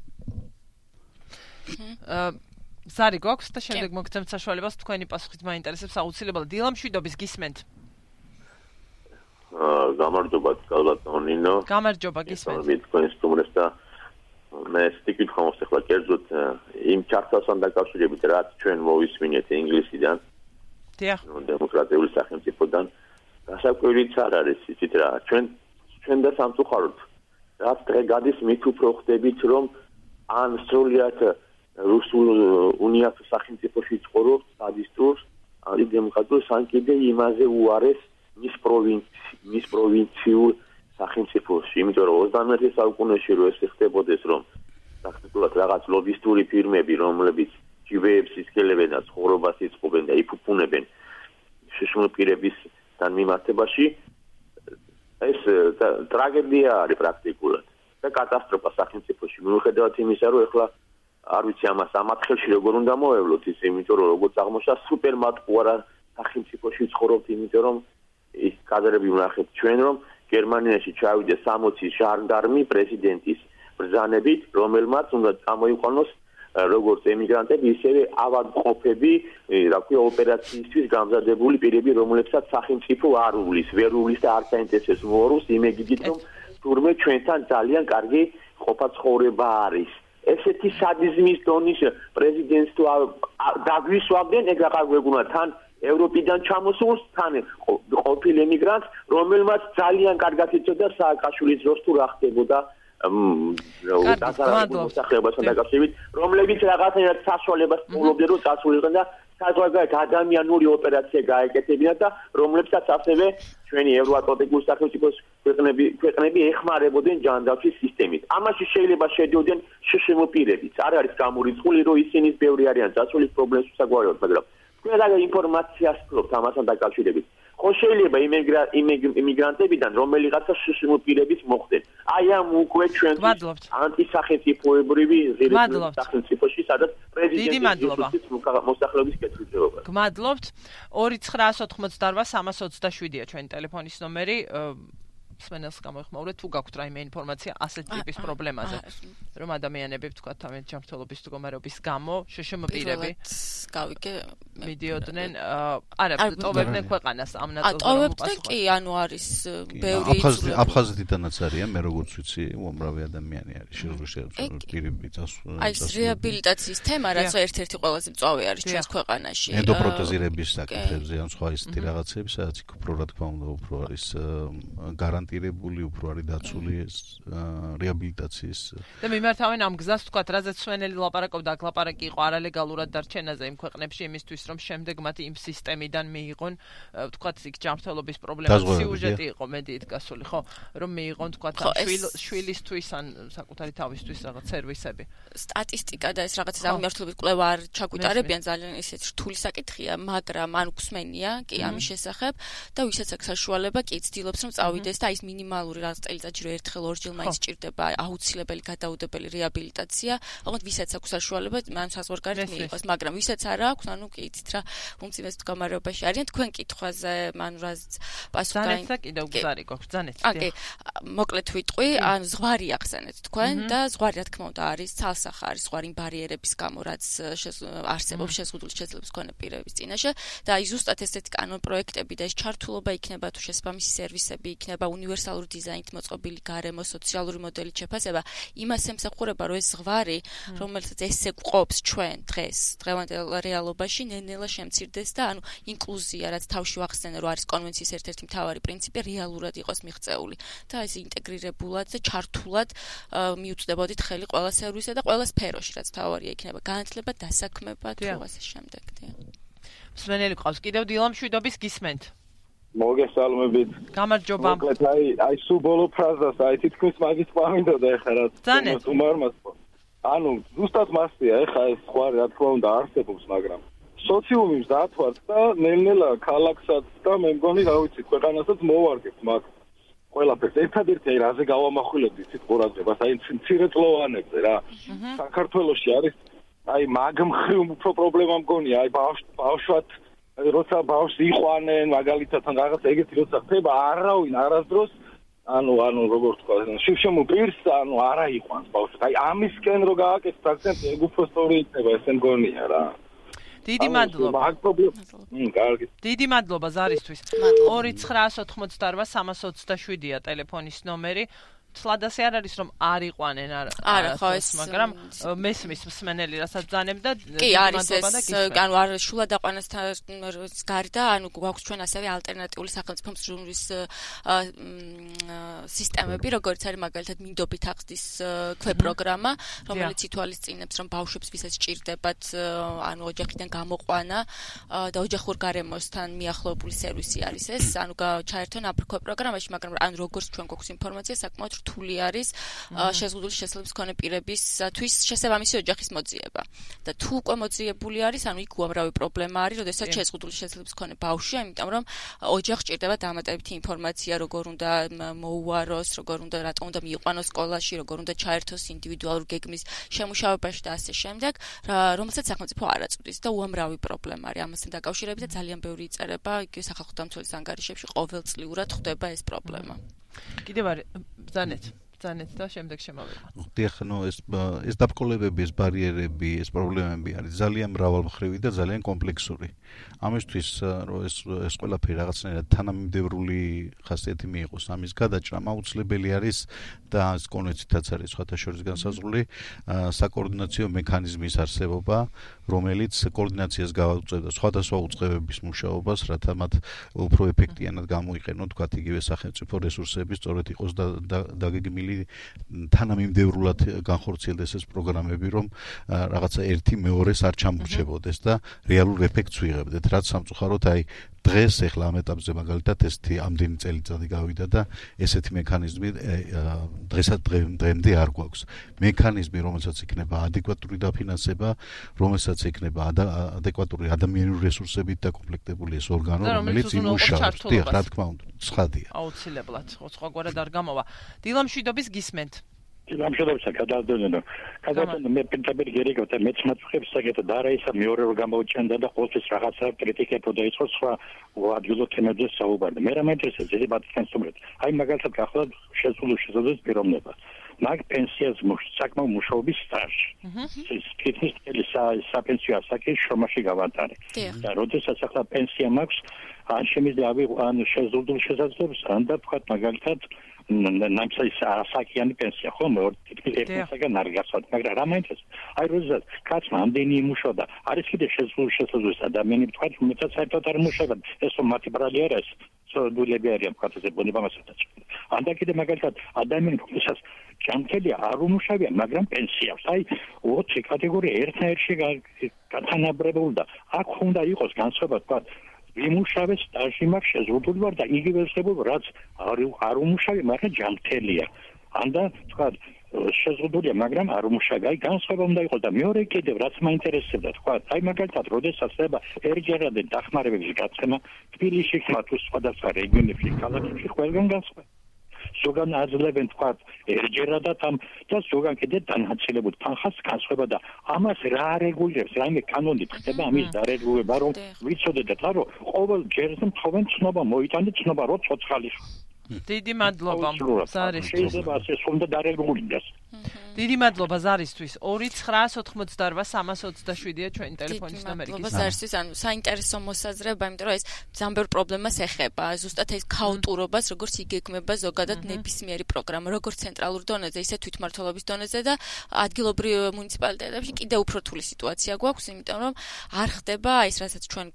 ზარი გვაქვს და შემდეგ მოგცემთ საშუალებას თქვენი პასუხით მაინტერესებს აუცილებლად დილამშვიდობის გისმენთ. გამარჯობა გალბატონინო. გამარჯობა გისმენთ. მე თქვენ სტუმრებს და მე სტიკით ხომს ახლა კერძოდ იმ ჩართვასთან დაკავშირებით რაც ჩვენ მოვისმინეთ ინგლისიდან. დიახ. დემოკრატიული სახელმწიფოდან გასაკვირიც არ არის იცით რა. ჩვენ და სამწუხაროდ რაც დღე გადის მით უფრო ხდებით რომ ან სრულიად რუსულ უნიათ სახელმწიფოში ცხოვრობთ სადისტურს ანტიდემოკრატიულს ან კიდე იმაზე უარეს მის პროვინციულ სახელმწიფოში, იმიტომ რომ 21 საუკუნეში რო ეს ხდებოდეს, რომ ფაქტობრივად რაღაც ლობისტური ფირმები, რომლებიც ჯიბეებს ისკელებენ და ცხოვრებას იწყობენ და იფუფუნებენ შიშმულ პირებისთან მიმართებაში, ეს ტრაგედია არის პრაქტიკულად და კატასტროფა სახელმწიფოში. მიუხედავად იმისა, რომ ეხლა არ ვიცი ამას ამათხელში როგორ უნდა მოევლოთ ის, იმიტომ რომ როგორც აღმოჩნდა სუპერმატყუარა სახელმწიფოში ცხოვრობთ, იმიტომ რომ ის კადრები ვნახეთ ჩვენ რომ გერმანიაში ჩავიდა 60 ჟანდარმი პრეზიდენტის ბრძანებით, რომელმაც უნდა წამოიყვანოს როგორც ემიგრანტები, ისევე ავადმყოფები, რა ქვია, ოპერაციისთვის გამზადებული პირები, რომლებსაც სახელმწიფო არ უვლის, ვერ უვლის და არ საინტერესოს მოოროს იმეგიდით, რომ თურმე ჩვენთან ძალიან კარგი ყოფა-ცხოვრება არის. ესეთი სადიზმის დონის პრეზიდენტს თუ დაგვისვამდნენ, ეგ აღარ გვეგონა თან ევროპიდან ჩამოსულს, თან ყოფილ ემიგრანტს, რომელმაც ძალიან კარგად იცოდა სააკაშვილის დროს თუ რა ხდებოდა დასახლებასთან დაკავშირებით, რომლებიც რაღაცნაირად საშუალებას პოულობდნენ, რომ წასულიყო და საზღვარგარეთ ადამიანური ოპერაცია გაეკეთებინათ და რომლებსაც ასევე ჩვენი ევროატლანტიკური სახელმწიფოს ქვეყნები ეხმარებოდნენ ჯანდაცვის სისტემით. ამაში შეიძლება შედიოდნენ შშმ პირებიც. არ არის გამორიცხული, რომ ისინი ბევრი არიან წასული პრობლემის საგვარეულოდ, მაგრამ თქვენ რა ინფორმაციას ფლობთ ამასთან დაკავშირებით? ხო შეიძლება იმიგრანტებიდან რომელიღაცა შშმ პირების მოხდნენ. აი ამ უკვე ჩვენ ანტისახელმწიფოებრივი სახელმწიფოში, სადაც პრეზიდენტის მოსახლეობის კეთილდღეობა. გმადლობთ. 2988-327-ია ჩვენი ტელეფონის ნომერი. სმენელს გამოიხმაურეთ თუ გაქვთ რაიმე ინფორმაცია ასეთ ტიპის პრობლემაზე, რომ ადამიანები ვთქვათ თავიანთ ჯანმრთელობის მდგომარეობის გამო შშმ პირები მიდიოდნენ, არა, ტოვებდნენ ქვეყანას ამ ნაწილზე. ტოვებდნენ კი, ანუ არის ბევრი აფხაზეთიდანაც არიან, მე როგორც ვიცი, უამრავი ადამიანი არის შეზღუდული პირები წასული. აი ეს რეაბილიტაციის თემა, რაც ერთ-ერთი ყველაზე მწვავე არის ჩვენს ქვეყანაში. ენდოპროთეზირების საკითხებზე ან სხვა ისეთი რაღაცები, სადაც უფრო რა თქმა უნდა უფრო არის გარანტირებული, უფრო არის დაცული ეს რეაბილიტაციის. და მიმართავენ ამ გზას, ვთქვათ, რაზეც სვენელი ლაპარაკობდა, აქ ლაპარაკი იყო არალეგალურად დარჩენაზე იმ ქვეყნებში, იმისთვის რომ შემდეგ მათ იმ სისტემიდან მიიღონ, ვთქვათ, იქ ჯანმრთელობის პრობლემა, სიუჟეტი იყო მედიით გასული, ხო, რომ მიიღონ, ვთქვათ, შვილისთვის ან საკუთარი თავისთვის რაღაც სერვისები. სტატისტიკა და ეს რაღაც ამმართველობის კვლევა არ ჩაგვიტარებიან, ძალიან ისეთ რთული საკითხია, მაგრამ ან გვსმენია კი ამის შესახებ და ვისაც აქვს საშუალება, კი ცდილობს რომ წავიდეს და ის მინიმალური რაღაც წელიწადში რომ ერთხელ ორჯერ მაინც სჭირდება აუცილებელი გადაუდებელი რეაბილიტაცია, ოღონდ ვისაც აქვს საშუალება, მან საზღვარგარეთ მიიღოს, მაგრამ ვისაც არ აქვს, ანუ კი იცით რა, უმძიმეს მდგომარეობაში არიან. თქვენ კითხვაზე, ანუ რა პასუხი განეცდა კიდევ გზარი გვაქვს, ძანეთ. ოკეი, მოკლედ ვიტყვი, ან ზღვარი ახსენეთ თქვენ და ზღვარი რა თქმა უნდა არის ცალსახა, არის ზღვარი ბარიერების გამო, რაც არსებობს შეზღუდული შესაძლებლობის მქონე პირების წინაშე და აი ზუსტად ესეთი კანონ პროექტები და ეს ჩართულობა იქნება თუ შესაბამისი სერვისები იქნება უნივერსალური დიზაინით მოწყობილი გარემო, სოციალური მოდელით შეფასება, იმას ემსახურება, რომ ეს ზღვარი, რომელსაც ესე გვყობს ჩვენ დღეს, დღევანდელ რეალობაში, ნელ-ნელა შემცირდეს და ანუ ინკლუზია, რაც თავში ვახსენე, რომ არის კონვენციის ერთ-ერთი ერთ-ერთი მთავარი პრინციპი რეალურად იყოს მიღწეული და ეს ინტეგრირებულად და ჩართულად მიუწვდებოდით ხელი ყველა სერვისზე და ყველა სფეროში, რაც მთავარია იქნება განათლება, დასაქმება თუ ასე შემდეგ. მსმენელი ყავს კიდევ დილა მშვიდობის გისმენთ. მოგესალმებით. გამარჯობა. მოკლედ აი სულ ბოლო ფრაზას აი თითქმის მაგის ყვამინდოდა ეხლა რაც უმარმას. ანუ ზუსტად მასია ეხლა ეს სხვა რა თქმა უნდა არსებობს, მაგრამ სოციუმის დათვართ და ნელ-ნელა ქალაქსაც და მე მგონი რა ვიცი ქვეყანასაც მოვარგებთ მაგ ყველაფერს. ერთადერთი აი რაზე გავამახვილებდით თვით ყურადღებას აი მცირეწლოვანებზე რა. საქართველოში არის აი მაგ მხრივ უფრო პრობლემა მგონია აი ბავშვად როცა ბავშვს იყვანენ მაგალითად ან რაღაც ეგეთი როცა ხდება არავინ არასდროს ანუ როგორ თქვა შევშემო პირს ანუ არა იყვანს ბავშვს აი ამისკენ რო გააკეთეთ აქცენტი ეგ უფრო სწორი იქნება ესე მგონია რა დიდი მადლობა მაგ პრობლემა კარგი დიდი მადლობა ზარისთვის 2988327-ია ტელეფონის ნომერი სლადასი არ არის რომ არ იყვანენ არა ხო ეს მაგრამ მესმის მსმენელი რასაც ძანებ და კი არის ეს ანუ არ შულა დაყვანასთან გარდა ანუ გვაქვს ჩვენ ასევე ალტერნატიული სახელმწიფო მსჯურის სისტემები როგორც არის მაგალითად მინდობით აღზრდის ქვეპროგრამა რომელიც ითვალისწინებს რომ ბავშვებს ვისაც სჭირდებათ ანუ ოჯახიდან გამოყვანა და ოჯახურ გარემოსთან მიახლოებული სერვისი არის ეს ანუ ჩაერთონ ამ ქვეპროგრამაში მაგრამ ანუ როგორც ჩვენ გვაქვს ინფორმაცია საკმაოდ რთული არის შეზღუდული შესაძლებლობის მქონე პირებისთვის შესაბამისი ოჯახის მოძიება. და თუ უკვე მოძიებული არის, ანუ იქ უამრავი პრობლემა არის, როდესაც შეზღუდული შესაძლებლობის მქონე ბავშვია, იმიტომ რომ ოჯახს ჭირდება დამატებითი ინფორმაცია, როგორ უნდა მოუაროს, როგორ უნდა რატომ უნდა მიიყვანოს სკოლაში, როგორ უნდა ჩაერთოს ინდივიდუალურ გეგმის შემუშავებაში და ასე შემდეგ, რომელსაც სახელმწიფო არ აწვდის და უამრავი პრობლემა არის ამასთან დაკავშირებით და ძალიან ბევრი იწერება იგივე სახალხო დამცველის ანგარიშებში ყოველწლიურად ხდება ეს პრობლემა. კიდევ არის ზანეთ და შემდეგ შემოვიყვანოთ. დიახ, ეს დაბრკოლებები, ეს ბარიერები, ეს პრობლემები არის ძალიან მრავალმხრივი და ძალიან კომპლექსური. ამისთვის რომ ეს ყველაფერი რაღაცნაირად თანამიმდევრული ხასიათი მიიღოს, ამის გადაჭრა აუცილებელი არის და ეს კონვენციითაც არის სხვათა შორის განსაზღვრული საკოორდინაციო მექანიზმის არსებობა, რომელიც კოორდინაციას გავაუწევდა სხვადასხვა უწყებების მუშაობას, რათა მათ უფრო ეფექტიანად გამოიყენოთ, თქვათ იგივე სახელმწიფო რესურსები, სწორედ იყოს დაგეგმილი თანამიმდევრულად განხორციელდეს ეს პროგრამები, რომ რაღაცა ერთი მეორეს არ ჩამორჩებოდეს და რეალურ ეფექტს ვიღებდეთ. რაც სამწუხაროდ აი დღეს ახლა ამ ეტაპზე მაგალითად ესეთი ამდენი წელიწადი გავიდა და ესეთი მექანიზმი დღემდე არ გვაქვს. მექანიზმი, რომელსაც იქნება ადეკვატური დაფინანსება, რომელსაც იქნება ადეკვატური ადამიანური რესურსებით დაკომპლექტებული ეს ორგანო, რომელიც იმუშავებს. დიახ, რა თქმა უნდა, ცხადია. აუცილებლად, სხვაგვარად არ გამოვა. დილა მშვიდობის გისმენთ. გამშობებსა გადავდენო. გადავდენო მე პენტაბერი გერიგოთ და მეც მათხვებს საკეთო და რა ისა მეორე რო გამოუჩენდა და ყოველთვის რაღაცა კრიტიკებო და იყო სხვა ადგილო თემებზე საუბარი. მე რა მეინტერესებს ეს ბატონსტუმრეთ. აი მაგალითად ახლა შესაძლოა პიროვნება. მაგ პენსიას საკმაო მუშაობის სტაჟი. ეს კითხვის საპენსიო ასაკი შრომაში გავატარე. და როდესაც ახლა პენსია მაქვს, ან შემიძლია ან შეზღუდულ შესაძლებლობას, ან და თქვა მაგალითად ნამსის ასაკიანი პენსია ხომ ერთსაგან არ გასვათ მაგრამ რა მაინტერესებს აი როდესაც კაცმა ამდენი იმუშავა და არის კიდე შესაძლოა ადამიანი თქვა უმეტად საერთოდ არ იმუშავა ეს მათი ბრალი არის სოდულები არიან თქვა ეს ბუნებამასაც ან და კიდე მაგალითად ადამიანი თვითონაც ჯანმრთელი არ უმუშავია მაგრამ პენსიას აი 20 კატეგორია ერთნაირში გათანაბრებული და აქ უნდა იყოს განსხვავება თქვა ვიმუშავე სტაჟი მაქვს შეზღუდული ვარ და იგივე ვსებობ რაც არ უმუშავე მაგრამ ჯანმრთელია ან და თქვა შეზღუდულია მაგრამ არ უმუშავე აი განსხვავება უნდა იყოს და მეორე კიდევ რაც მაინტერესებდა თქვა აი მაგალითად როდესაც ხდება ერთჯერადი დახმარებების გაცემა თბილისში თუ სხვადასხვა რეგიონებში ქალაქებში ყველგან განსხვავება ზოგან აძლევენ თქვა ერთჯერადად ამ და ზოგან კიდე დანაწილებული თანხას განსხვავება და ამას რა რეგულირებს რაიმე კანონით ხდება ამის დარეგულირება რომ ვიცოდეთ რომ ყოველ ჯერზე თხოვენ ცნობა მოიტანეთ ცნობა რო ცოცხალი დიდი მადლობა ზარისთვის შეიძლება ასე უნდა დარეგულირდეს დიდი მადლობა ზარისთვის 2988327-ია ჩვენი ტელეფონის ნომერი. მადლობა ზარისთვის, ანუ საინტერესო მოსაზრება, იმიტომ რომ ეს ძალიან პრობლემას ეხება. ზუსტად ეს ქაოტურობას, როგორც იგეგმება ზოგადად ნებისმიერი პროგრამა, როგორც ცენტრალურ დონეზე, ისე თვითმმართველობის დონეზე და ადგილობრივ მუნიციპალიტეტებში კიდევ უფრო რთული სიტუაცია გვაქვს, იმიტომ რომ არ ხდება ის, რასაც ჩვენ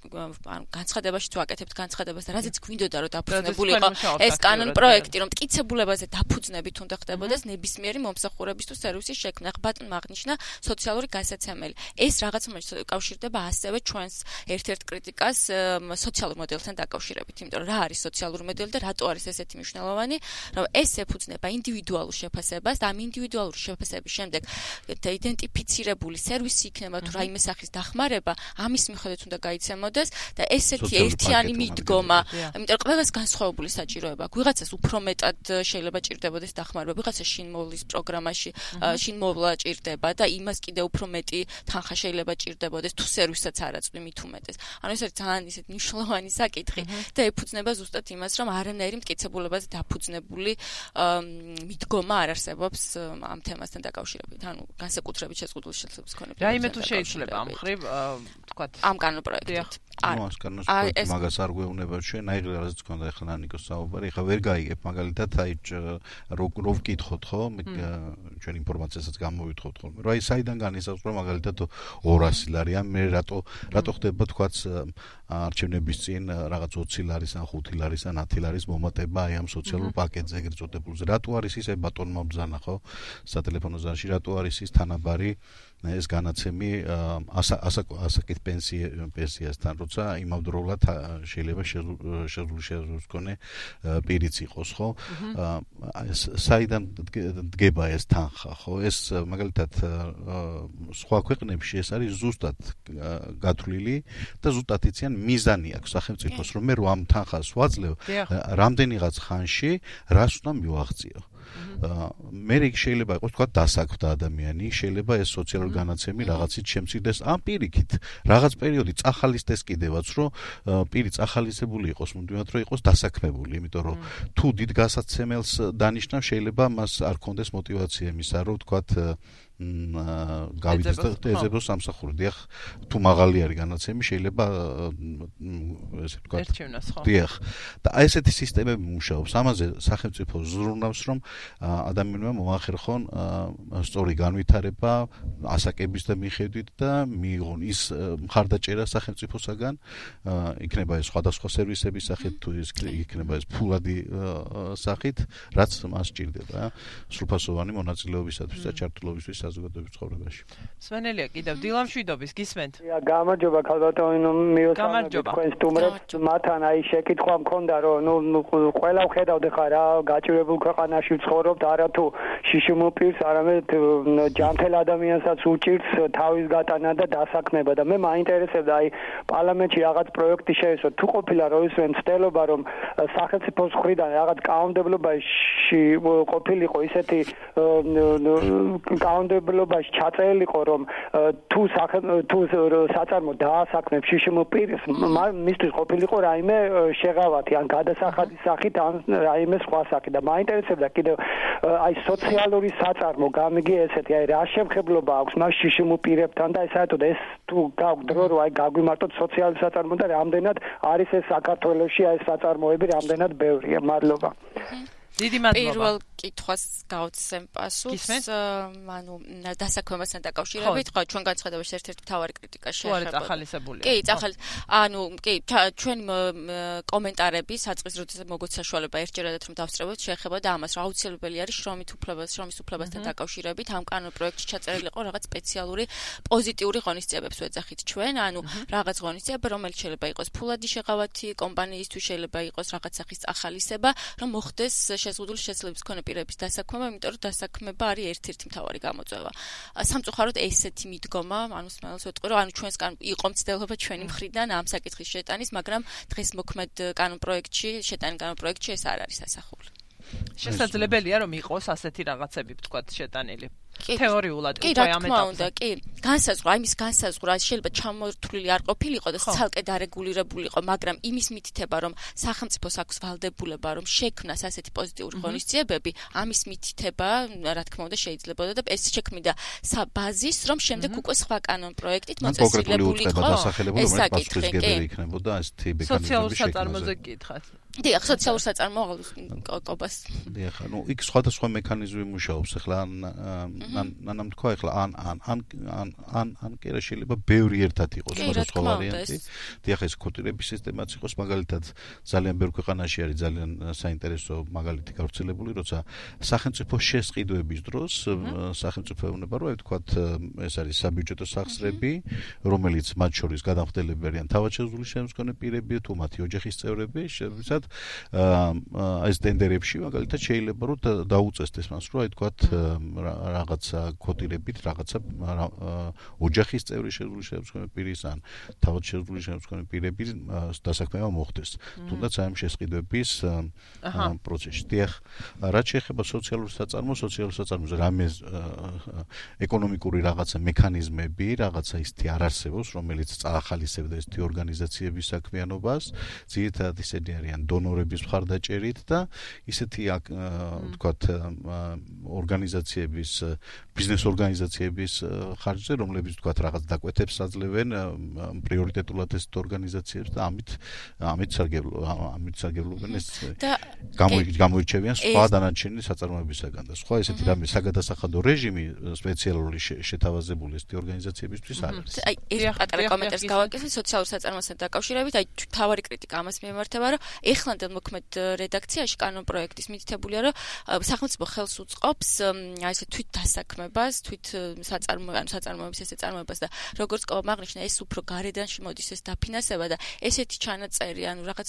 განცხადებაშიც ვაკეთებთ განცხადებას და რაზეც გვინდოდა რომ დაფუძნებულიყო ეს კანონ პროექტი, რომ მტკიცებულებაზე დაფუძნებით უნდა ხდებოდეს ნებისმიერი მომსახურების თუ სერვისის შექმნა. ბატონმა აღნიშნა სოციალური გასაცემელი. ეს რაღაც მომენტში კავშირდება ასევე ჩვენს ერთ-ერთ კრიტიკას სოციალურ მოდელთან დაკავშირებით. იმიტომ რომ რა არის სოციალური მოდელი და რატო არის ესეთი მნიშვნელოვანი, რომ ეს ეფუძნება ინდივიდუალურ შეფასებას და ამ ინდივიდუალური შეფასების შემდეგ იდენტიფიცირებული სერვისი იქნება თუ რაიმე სახის დახმარება, ამის მიხედვით უნდა გაიცემოდეს და ესეთი ერთიანი მიდგომა, იმიტომ რომ ყველას განსხვავებული საჭიროება აქვს. ვიღაცას უფრო მეტად შეიძლება ჭირდებოდეს დახმარება, ვიღაცას შინმოვლის პროგრამაში შინმოვლა ჭირდება და იმას კიდევ უფრო მეტი თანხა შეიძლება ჭირდებოდეს თუ სერვისაც არ აწვდი მით უმეტეს. ანუ ეს არის ძალიან ისეთ მნიშვნელოვანი საკითხი და ეფუძნება ზუსტად იმას, რომ არანაირი მტკიცებულებაზე დაფუძნებული მიდგომა არ არსებობს ამ თემასთან დაკავშირებით. ანუ განსაკუთრებით შეზღუდული შესაძლებლობის მქონე. რაიმე თუ შეიძლება ამ ხრივ თქვათ ამ კანონპროექტით. ამას კანონპროექტი მაგას არ გვეუბნება ჩვენ, აი რაღაც გქონდა ახლა ნიკოს საუბარი, ახლა ვერ გაიგებ მაგალითად აი რო ვკითხოთ ხო, ჩვენ ინფორმაციასაც გამოვითხოვთ ხოლმე. რა ის საიდან განისაზღვრა მაგალითად 200 ლარი, ან მე რატო ხდება თქვაც არჩევნების წინ რაღაც 20 ლარის ან 5 ლარის ან 10 ლარის მომატება აი ამ სოციალურ პაკეტზე ეგრეთ წოდებულზე. რატო არის ისე ბატონმა ბრძანა ხო სატელეფონო ზარში, რატო არის ის თანაბარი ეს განაცემი ასაკით პენსიასთან, როცა იმავდროულად შეიძლება შესაძლოა მქონე პირიც იყოს, ხო? საიდან დგება ეს თანხა, ხო? ეს მაგალითად სხვა ქვეყნებში ეს არის ზუსტად გათვლილი და ზუსტად იციან მიზანი აქვს სახელმწიფოს, რომ მე რო ამ თანხას ვაძლევ, რამდენიღაც ხანში რას უნდა მივაღწიო. მე იქ შეიძლება იყოს თქვა დასაქმდა ადამიანი, შეიძლება ეს სოციალური განაცემი რაღაცით შემცირდეს ამ პირიქით. რაღაც პერიოდი წახალისდეს კიდევაც, რომ პირი წახალისებული იყოს, მუდმივად რომ იყოს დასაქმებული, იმიტომ რომ თუ დიდ გასაცემელს დანიშნავს, შეიძლება მას არ კონდეს мотиваცია იმისა, რომ თქვა გავიდეს და ეძებოს სამსახური. დიახ, თუ მაღალი არის განაცემი, შეიძლება ესე ვთქვათ, ერჩევნას ხო? დიახ. და ესეთი სისტემები მუშაობს. ამაზე სახელმწიფო ზრუნავს, რომ ადამიანმა მოახერხონ სწორი განვითარება ასაკების და მიხედვით და მიიღონ ის მხარდაჭერა სახელმწიფოსაგან, იქნება ეს სხვადასხვა სერვისების სახით, თუ ის იქნება ეს ფულადი სახით, რაც მას სჭირდება, სრულფასოვანი მონაწილეობისათვის და ჩართულობისთვის საზოგადოების ცხოვრებაში. სვენელია კიდევ დილამშვიდობის გისმენთ. გამარჯობა ქალბატონო, მიოსწრებით თქვენ სტუმრებს. მათთან აი შეკითხვა მქონდა, რომ ყველა ვხედავთ ხა რა გაჭირებულ ქვეყანაში ვცხოვრობთ, არათუ შიშიმოპირს, არამედ ჯანმრთელ ადამიანსაც უჭირს თავის გატანა და დასაქმება და მე მაინტერესებდა აი პარლამენტში რაღაც პროექტი შეესო, თუ ყოფილა რომ ის მცდელობა, რომ სახელმწიფოს მხრიდან რაღაც კანონმდებლობაში ყოფილიყო ისეთი კანონმდებლობაში ჩაწერილიყო, რომ თუ საწარმო დაასაქმებს შიშიმოპირს, მისთვის ყოფილიყო რაიმე შეღავათი ან გადასახადის სახით ან რაიმე სხვა სახით და მაინტერესებდა კიდევ აი სოციალური საწარმო გამიგი ესეთი აი რა შემხებლობა აქვს მას შიშიმოპირებთან და საერთოდ ეს თუ გაგვ დრო რომ აი გაგვიმართოთ სოციალური საწარმო და რამდენად არის ეს საქართველოში აი საწარმოები რამდენად ბევრია. მადლობა. დიდი მადლობა. პირველ კითხვას გავცემ პასუხს, ანუ დასაქმებასთან დაკავშირებით, ხო, ჩვენ განცხადებაში ერთ-ერთი მთავარი კრიტიკა შეეხება. ახალისებულია. კი, ანუ კი, ჩვენი კომენტარები საწყის როდესაც მოგოც საშუალება ერთჯერადად რომ დავსწრებოთ, შეეხება და ამას რა აუცილებელი არის შრომის უფლებასთან დაკავშირებით, ამ კანონ პროექტში ჩაწერილი იყო რაღაც სპეციალური პოზიტიური ღონისძიებებს ვეძახით ჩვენ, ანუ რაღაც ღონისძიება, რომელიც შეიძლება იყოს ფულადი შეღავათი, კომპანიისთვის შეიძლება იყოს რაღაც სახის წახალისება, რომ მოხდეს შეზღუდული შესაძლებლობის მქონე პირების დასაქმება, იმიტომ რომ დასაქმება არის ერთ-ერთი მთავარი გამოწვევა. სამწუხაროდ ესეთი მიდგომა, ანუ სმაილს ვეტყვი, რომ ანუ ჩვენსგან იყო მცდელობა ჩვენი მხრიდან ამ საკითხის შეტანის, მაგრამ დღეს მოქმედ კანონპროექტში, შეტანილ კანონპროექტში ეს არ არის ასახული. შესაძლებელია რომ იყოს ასეთი რაღაცები, ვთქვათ, შეტანილი. თეორიულად უკვე ამ ეტაპზე. კი, განსაზღვრა, იმის განსაზღვრა შეიძლება ჩამორთვლილი არ ყოფილიყო და ცალკე დარეგულირებულიყო, მაგრამ იმის მითითება, რომ სახელმწიფოს აქვს ვალდებულება, რომ შექმნას ასეთი პოზიტიური ღონისძიებები, ამის მითითება, რა თქმა უნდა, შეიძლებოდა და ეს შექმნიდა ბაზის, რომ შემდეგ უკვე სხვა კანონ პროექტით მოწესრიგებული იყო. ეს საკითხი იქნებოდა ესეთი სოციალურ საწარმოზე გითხათ. დიახ, სოციალურ საწარმოობას. დიახ, იქ სხვადასხვა მექანიზმი მუშაობს. ახლა ან თქვა ახლა ან კი რა შეიძლება ბევრი ერთად იყოს სხვადასხვა ვარიანტი. დიახ, ეს კვოტირების სისტემაც იყოს, მაგალითად, ძალიან ბევრ ქვეყანაში არის ძალიან საინტერესო მაგალითი გავრცელებული, როცა სახელმწიფო შესყიდვების დროს სახელმწიფო ეუბნება, რომ ვთქვათ, ეს არის საბიუჯეტო სახსრები, რომელიც მათ შორის გადამხდელები არიან თავადშეძლული შემდგომი პირები, თუ მათი ოჯახის წევრები, შესაბამისად ეს ტენდერებში მაგალითად შეიძლება რომ დაუწესდეს მას, რომ აი თქვათ რაღაცა კვოტირებით, რაღაცა ოჯახის წევრი შეძლული შემდგომი პირის ან თავადშეძლული შემდგომი პირების დასაქმება მოხდეს. თუნდაც აი ამ შესყიდვების პროცესში. დიახ, რაც შეეხება სოციალურ საწარმოზე რამე ეკონომიკური რაღაცა მექანიზმები, რაღაცა ისეთი არ არსებობს, რომელიც წაახალისებდა ესეთი ორგანიზაციების საქმიანობას, ძირითადად ისინი არიან დონორების მხარდაჭერით და ისეთი ვთქვათ ორგანიზაციების, ბიზნეს ორგანიზაციების ხარჯზე, რომლებიც ვთქვათ რაღაც დაკვეთებს აძლევენ პრიორიტეტულად ეს ორგანიზაციებს და ამით სარგებლობენ ეს გამოირჩევიან სხვა დანარჩენი საწარმოებისაგან და სხვა ესეთი რამე საგადასახადო რეჟიმი სპეციალური შეთავაზებული ესეთი ორგანიზაციებისთვის არ არის. აი ეს პატარა კომენტარს გავაკეთე სოციალურ საწარმოებთან დაკავშირებით, აი თავარი კრიტიკა ამას მიემართება, რომ ეხლანდელ მოქმედ რედაქციაში კანონ პროექტის მითითებულია, რომ სახელმწიფო ხელს უწყობს აი ესე თვით დასაქმებას, თვით საწარმოების ესე წარმოებას და როგორც ყოლა მაგნიშნა ეს უფრო გარედან მოდის ეს დაფინანსება და ესეთი ჩანაწერი, ანუ რაღაც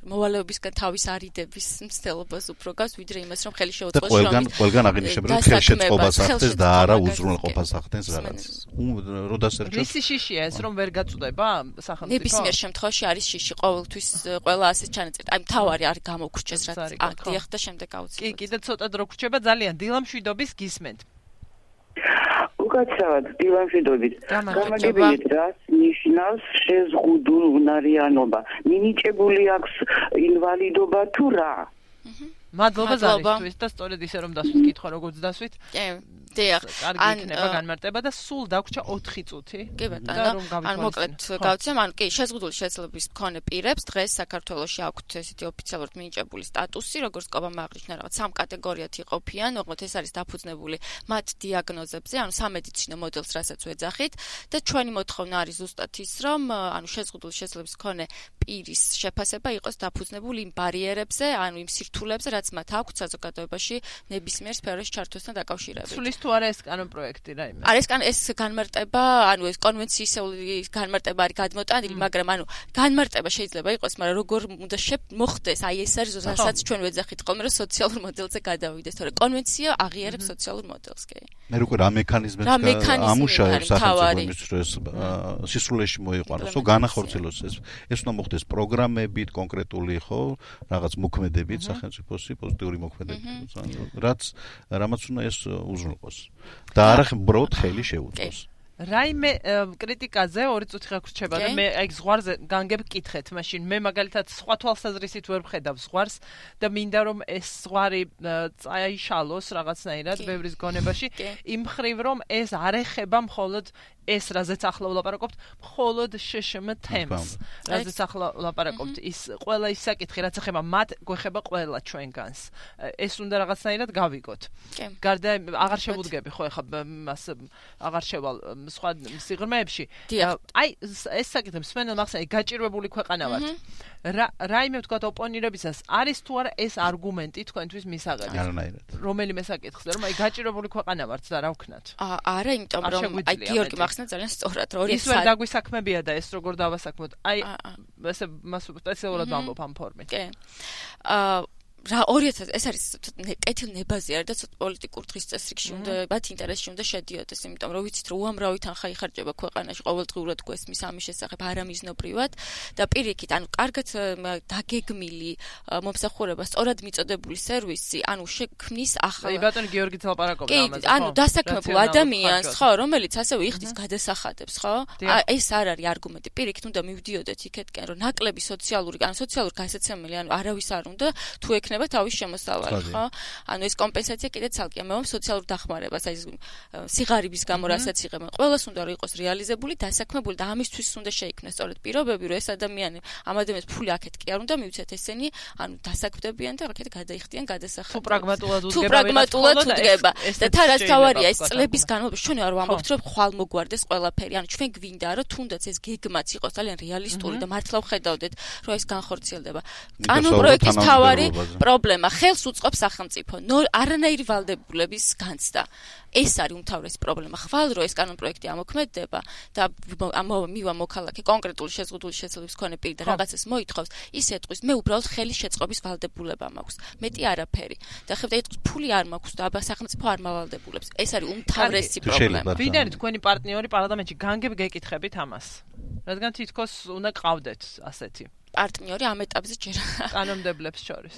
მოვალეობისგან თავის არიდების მცდელობას უფრო გავს, ვიდრე იმას, რომ ხელი შეუწყოს რომ ყველგან აღინიშნება, რომ ხელშეწყობას ახდენს და არა უზრუნველყოფას ახდენს რაღაცას. რო დასერჩოს. ისი შიშია ეს, რომ ვერ გაწუდება სახელმწიფო? ნებისმიერ შემთხვევაში არის შიში ყოველთვის ყველა ასე ჩანაწერი. აი მთავარი არ გამოგვრჩეს რაც აქტიახ და შემდეგ აუცილებლად. კი, კიდე ცოტა დრო გრჩება ძალიან დილამშვიდობის გისმენთ. უკაცრავად დილამშვიდობით. გამაგებინეთ რაც ნიშნავს შეზღუდულნარიანობა. მინიჭებული აქვს ინვალიდობა თუ რა? მადლობა ზარისთვის და სწორედ ისე რომ დასვით კითხვა როგორც დასვით. კი. დიახ, ან იქნება განმარტება და სულ დაგვრჩა 4 წუთი. კი ბატონო. ან მოკლედ გავცემ, ან კი, შეზღუდული შესაძლებლობის მქონე პირებს დღეს საქართველოში აქვთ ესეთი ოფიციალურად მინიჭებული სტატუსი, როგორც ყობამ აღნიშნა, რაღაც 3 კატეგორიად იყოფიან, ოღონდ ეს არის დაფუძნებული მათ დიაგნოზებზე, ანუ სამედიცინო მოდელს, რასაც ვეძახით და ჩვენი მოთხოვნა არის ზუსტად ის, რომ ანუ შეზღუდული შესაძლებლობის მქონე პირის შეფასება იყოს დაფუძნებული იმ ბარიერებზე, ანუ იმ სირთულეებზე, რაც მათ აქვთ საზოგადოებაში ნებისმიერ სფეროში ჩართვასთან დაკავშირებით. თუ არა ეს კანონ პროექტი რაიმე. არის ეს განმარტება, ანუ ეს კონვენციისეული განმარტება არის გადმოტანილი, მაგრამ ანუ განმარტება შეიძლება იყოს, მაგრამ როგორ უნდა მოხდეს, აი ეს არის რასაც ჩვენ ვეძახით ხოლმე, რომ სოციალურ მოდელზე გადავიდეს, თორემ კონვენცია აღიარებს სოციალურ მოდელს, კი. მე როგორ რა მექანიზმებს ამუშავებს სახელმწიფო იმის დროს სისრულეში მოიყვანოს, ხო განახორციელოს ეს უნდა მოხდეს პროგრამებით, კონკრეტული ხო, რაღაც მოქმედებით სახელმწიფოსი, პოზიტიური მოქმედებით, რამაც უნდა ეს უზრუნველყოს. და არა უბრალოდ ხელი შეუწყოს. რაიმე კრიტიკაზე 2 წუთი გაგვრჩება და მე აი ზღვარზე განგებ კითხეთ, მაშინ მე მაგალითად სხვა თვალსაზრისით ვერ ვხედავ ზღვარს და მინდა რომ ეს ზღვარი წაიშალოს რაღაცნაირად ბევრის გონებაში, იმ ხრივ რომ ეს არ ეხება მხოლოდ ეს რაზეც ახლა ვლაპარაკობთ, მხოლოდ შშმ თემს. რაზეც ახლა ვლაპარაკობთ, ის ყველა ის საკითხი, რაც ეხება მათ, გვეხება ყველა ჩვენგანს. ეს უნდა რაღაცნაირად გავიგოთ. გარდა აღარ შევუდგები ხო ეხლა მას აღარ შევალ სხვა სიღრმეებში. აი ეს საკითხი მსმენელ მახსენე გაჭირვებული ქვეყანა ვართ. რაიმე ვთქვათ ოპონირებისას არის თუ არა ეს არგუმენტი თქვენთვის მისაღები? არანაირად. რომელიმე საკითხზე რომ აი გაჭირვებული ქვეყანა ვართ და რა ვქნათ? არა, იმიტომ რომ აი გიორგი მახსენე ძალიან სწორად რომ ის ვერ დაგვისაქმებია და ეს როგორ დავასაქმოთ. აი ესე მას სპეციალურად ვამბობ ამ ფორმით. კი. ეს არის კეთილნებაზე არის და ცოტა პოლიტიკურ დღის წესრიგში უნდა მათ ინტერესში უნდა შედიოდეს, იმიტომ რომ ვიცით რომ უამრავი თანხა იხარჯება ქვეყანაში ყოველდღიურად გვესმის ამის შესახებ არამიზნობრივად და პირიქით, ანუ კარგად დაგეგმილი მომსახურება სწორად მიწოდებული სერვისი, ანუ შექმნის ახლა ბატონი გიორგი ლაპარაკობდა ამაზე, ხო? ანუ დასაქმებულ ადამიანს, ხო, რომელიც ასევე იხდის გადასახადებს, ხო? ეს არ არის არგუმენტი. პირიქით უნდა მივდიოდეთ იქეთკენ, რომ ნაკლები სოციალური გასაცემელი, ანუ არავის არ უნდა თუ ექნება თავის შემოსავალი, ხო? ანუ ეს კომპენსაცია კიდე ცალკეა, მე ვამბობ სოციალურ დახმარებას, აი სიღარიბის გამო რასაც იღებენ, ყველას უნდა იყოს რეალიზებული, დასაქმებული და ამისთვის უნდა შეიქმნას სწორედ პირობები, რომ ეს ადამიანი, ამ ადამიანს ფული აქეთ კი არ უნდა მივცეთ ესენი, ანუ დასაქმდებიან და აქეთ გადაიხდიან გადასახადებს. თუ პრაგმატულად უდგება. და თან რაც თავარია ეს წლების განმავლობაში ჩვენ არ ვამბობთ, რომ ხვალ მოგვარდეს ყველაფერი, ანუ ჩვენ გვინდა, რომ თუნდაც ეს გეგმაც იყოს ძალიან რეალისტური და მართლა ვხედავდეთ, რომ ეს განხორციელდება. კანონპროექტის თავარი პრობლემა ხელს უწყობს სახელმწიფო, არანაირი ვალდებულების განცდა. ეს არის უმთავრესი პრობლემა. ხვალ რო ეს კანონპროექტი ამოქმედდება და მივა მოქალაქე კონკრეტული შეზღუდული შესაძლებლობის მქონე პირი და რაღაცას მოითხოვს, ის ეტყვის, მე უბრალოდ ხელის შეწყობის ვალდებულება მაქვს. მეტი არაფერი. და ხებდა ეტყვის, ფული არ მაქვს და სახელმწიფო არ მავალდებულებს. ეს არის უმთავრესი პრობლემა. ვინ არის თქვენი პარტნიორი პარლამენტში? განგებ გეკითხებით ამას. რადგან თითქოს უნდა ყავდეთ ასეთი პარტნიორი ამ ეტაპზე ჯერ კანონმდებლებს შორის.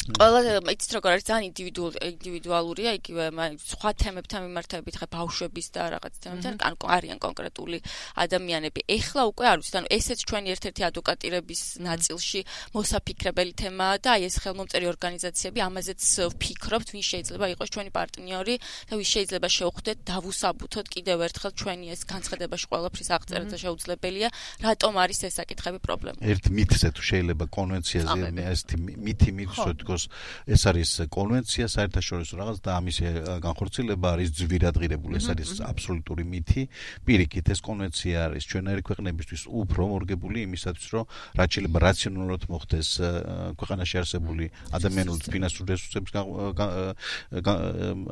ყველა იცით როგორ არის ძალიან ინდივიდუალურია იგივე სხვა თემებთან მიმართებით ხა ბავშვების და რაღაც თემებთან არიან კონკრეტული ადამიანები. ეხლა უკვე არ ვიცით, ანუ ესეც ჩვენი ერთ-ერთი ადვოკატირების ნაწილში მოსაფიქრებელი თემაა და აი ეს ხელმომწერი ორგანიზაციები ამაზეც ვფიქრობთ, ვინ შეიძლება იყოს ჩვენი პარტნიორი და ვინ შეიძლება შევხვდეთ დავუსაბუთოთ კიდევ ერთხელ ჩვენი ეს განცხადებაში ყველაფრის აღწერა და შეუძლებელია, რატომ არის ეს საკითხები პრობლემა. ერთ მითზე თუ შეიძლება კონვენციაზე ესეთი მითი მითხროთ ეს არის კონვენცია საერთაშორისო რაღაც და ამის განხორციელება არის ძვირადღირებული, ეს არის აბსოლუტური მითი. პირიქით ეს კონვენცია არის ჩვენერი ქვეყნებისთვის უფრო მორგებული იმისათვის, რომ რაც შეიძლება რაციონალურად მოხდეს ქვეყანაში არსებული ადამიანური ფინანსური რესურსების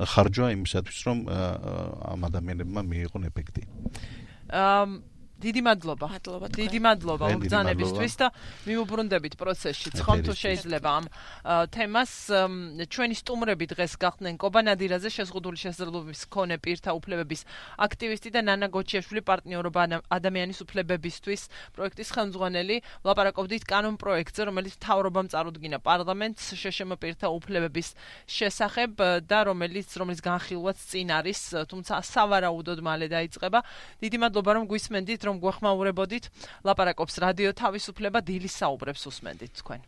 ხარჯვა იმისათვის, რომ ამ ადამიანებმა მიიღონ ეფექტი. დიდი მადლობა. დიდი მადლობა ბრძანებისთვის და მიუბრუნდებით პროცესში. ხომ თუ შეიძლება ამ თემას ჩვენი სტუმრები დღეს გახდნენ კობა ნადირაძე, შეზღუდული შესაძლებლობის მქონე პირთა უფლებების აქტივისტი და ნანა გოჩიაშვილი, პარტნიორობა ადამიანის უფლებებისთვის პროექტის ხელმძღვანელი. ვლაპარაკობდით კანონპროექტზე, რომელიც მთავრობამ წარუდგინა პარლამენტს შეშმ პირთა უფლებების შესახებ და რომელიც განხილვაც წინ არის, თუმცა სავარაუდოდ მალე დაიწყება. დიდი მადლობა რომ გვისმენდით, რომ გვეხმაურებოდით. ლაპარაკობს რადიო თავისუფლება, დილის საუბრებს უსმენდით თქვენ.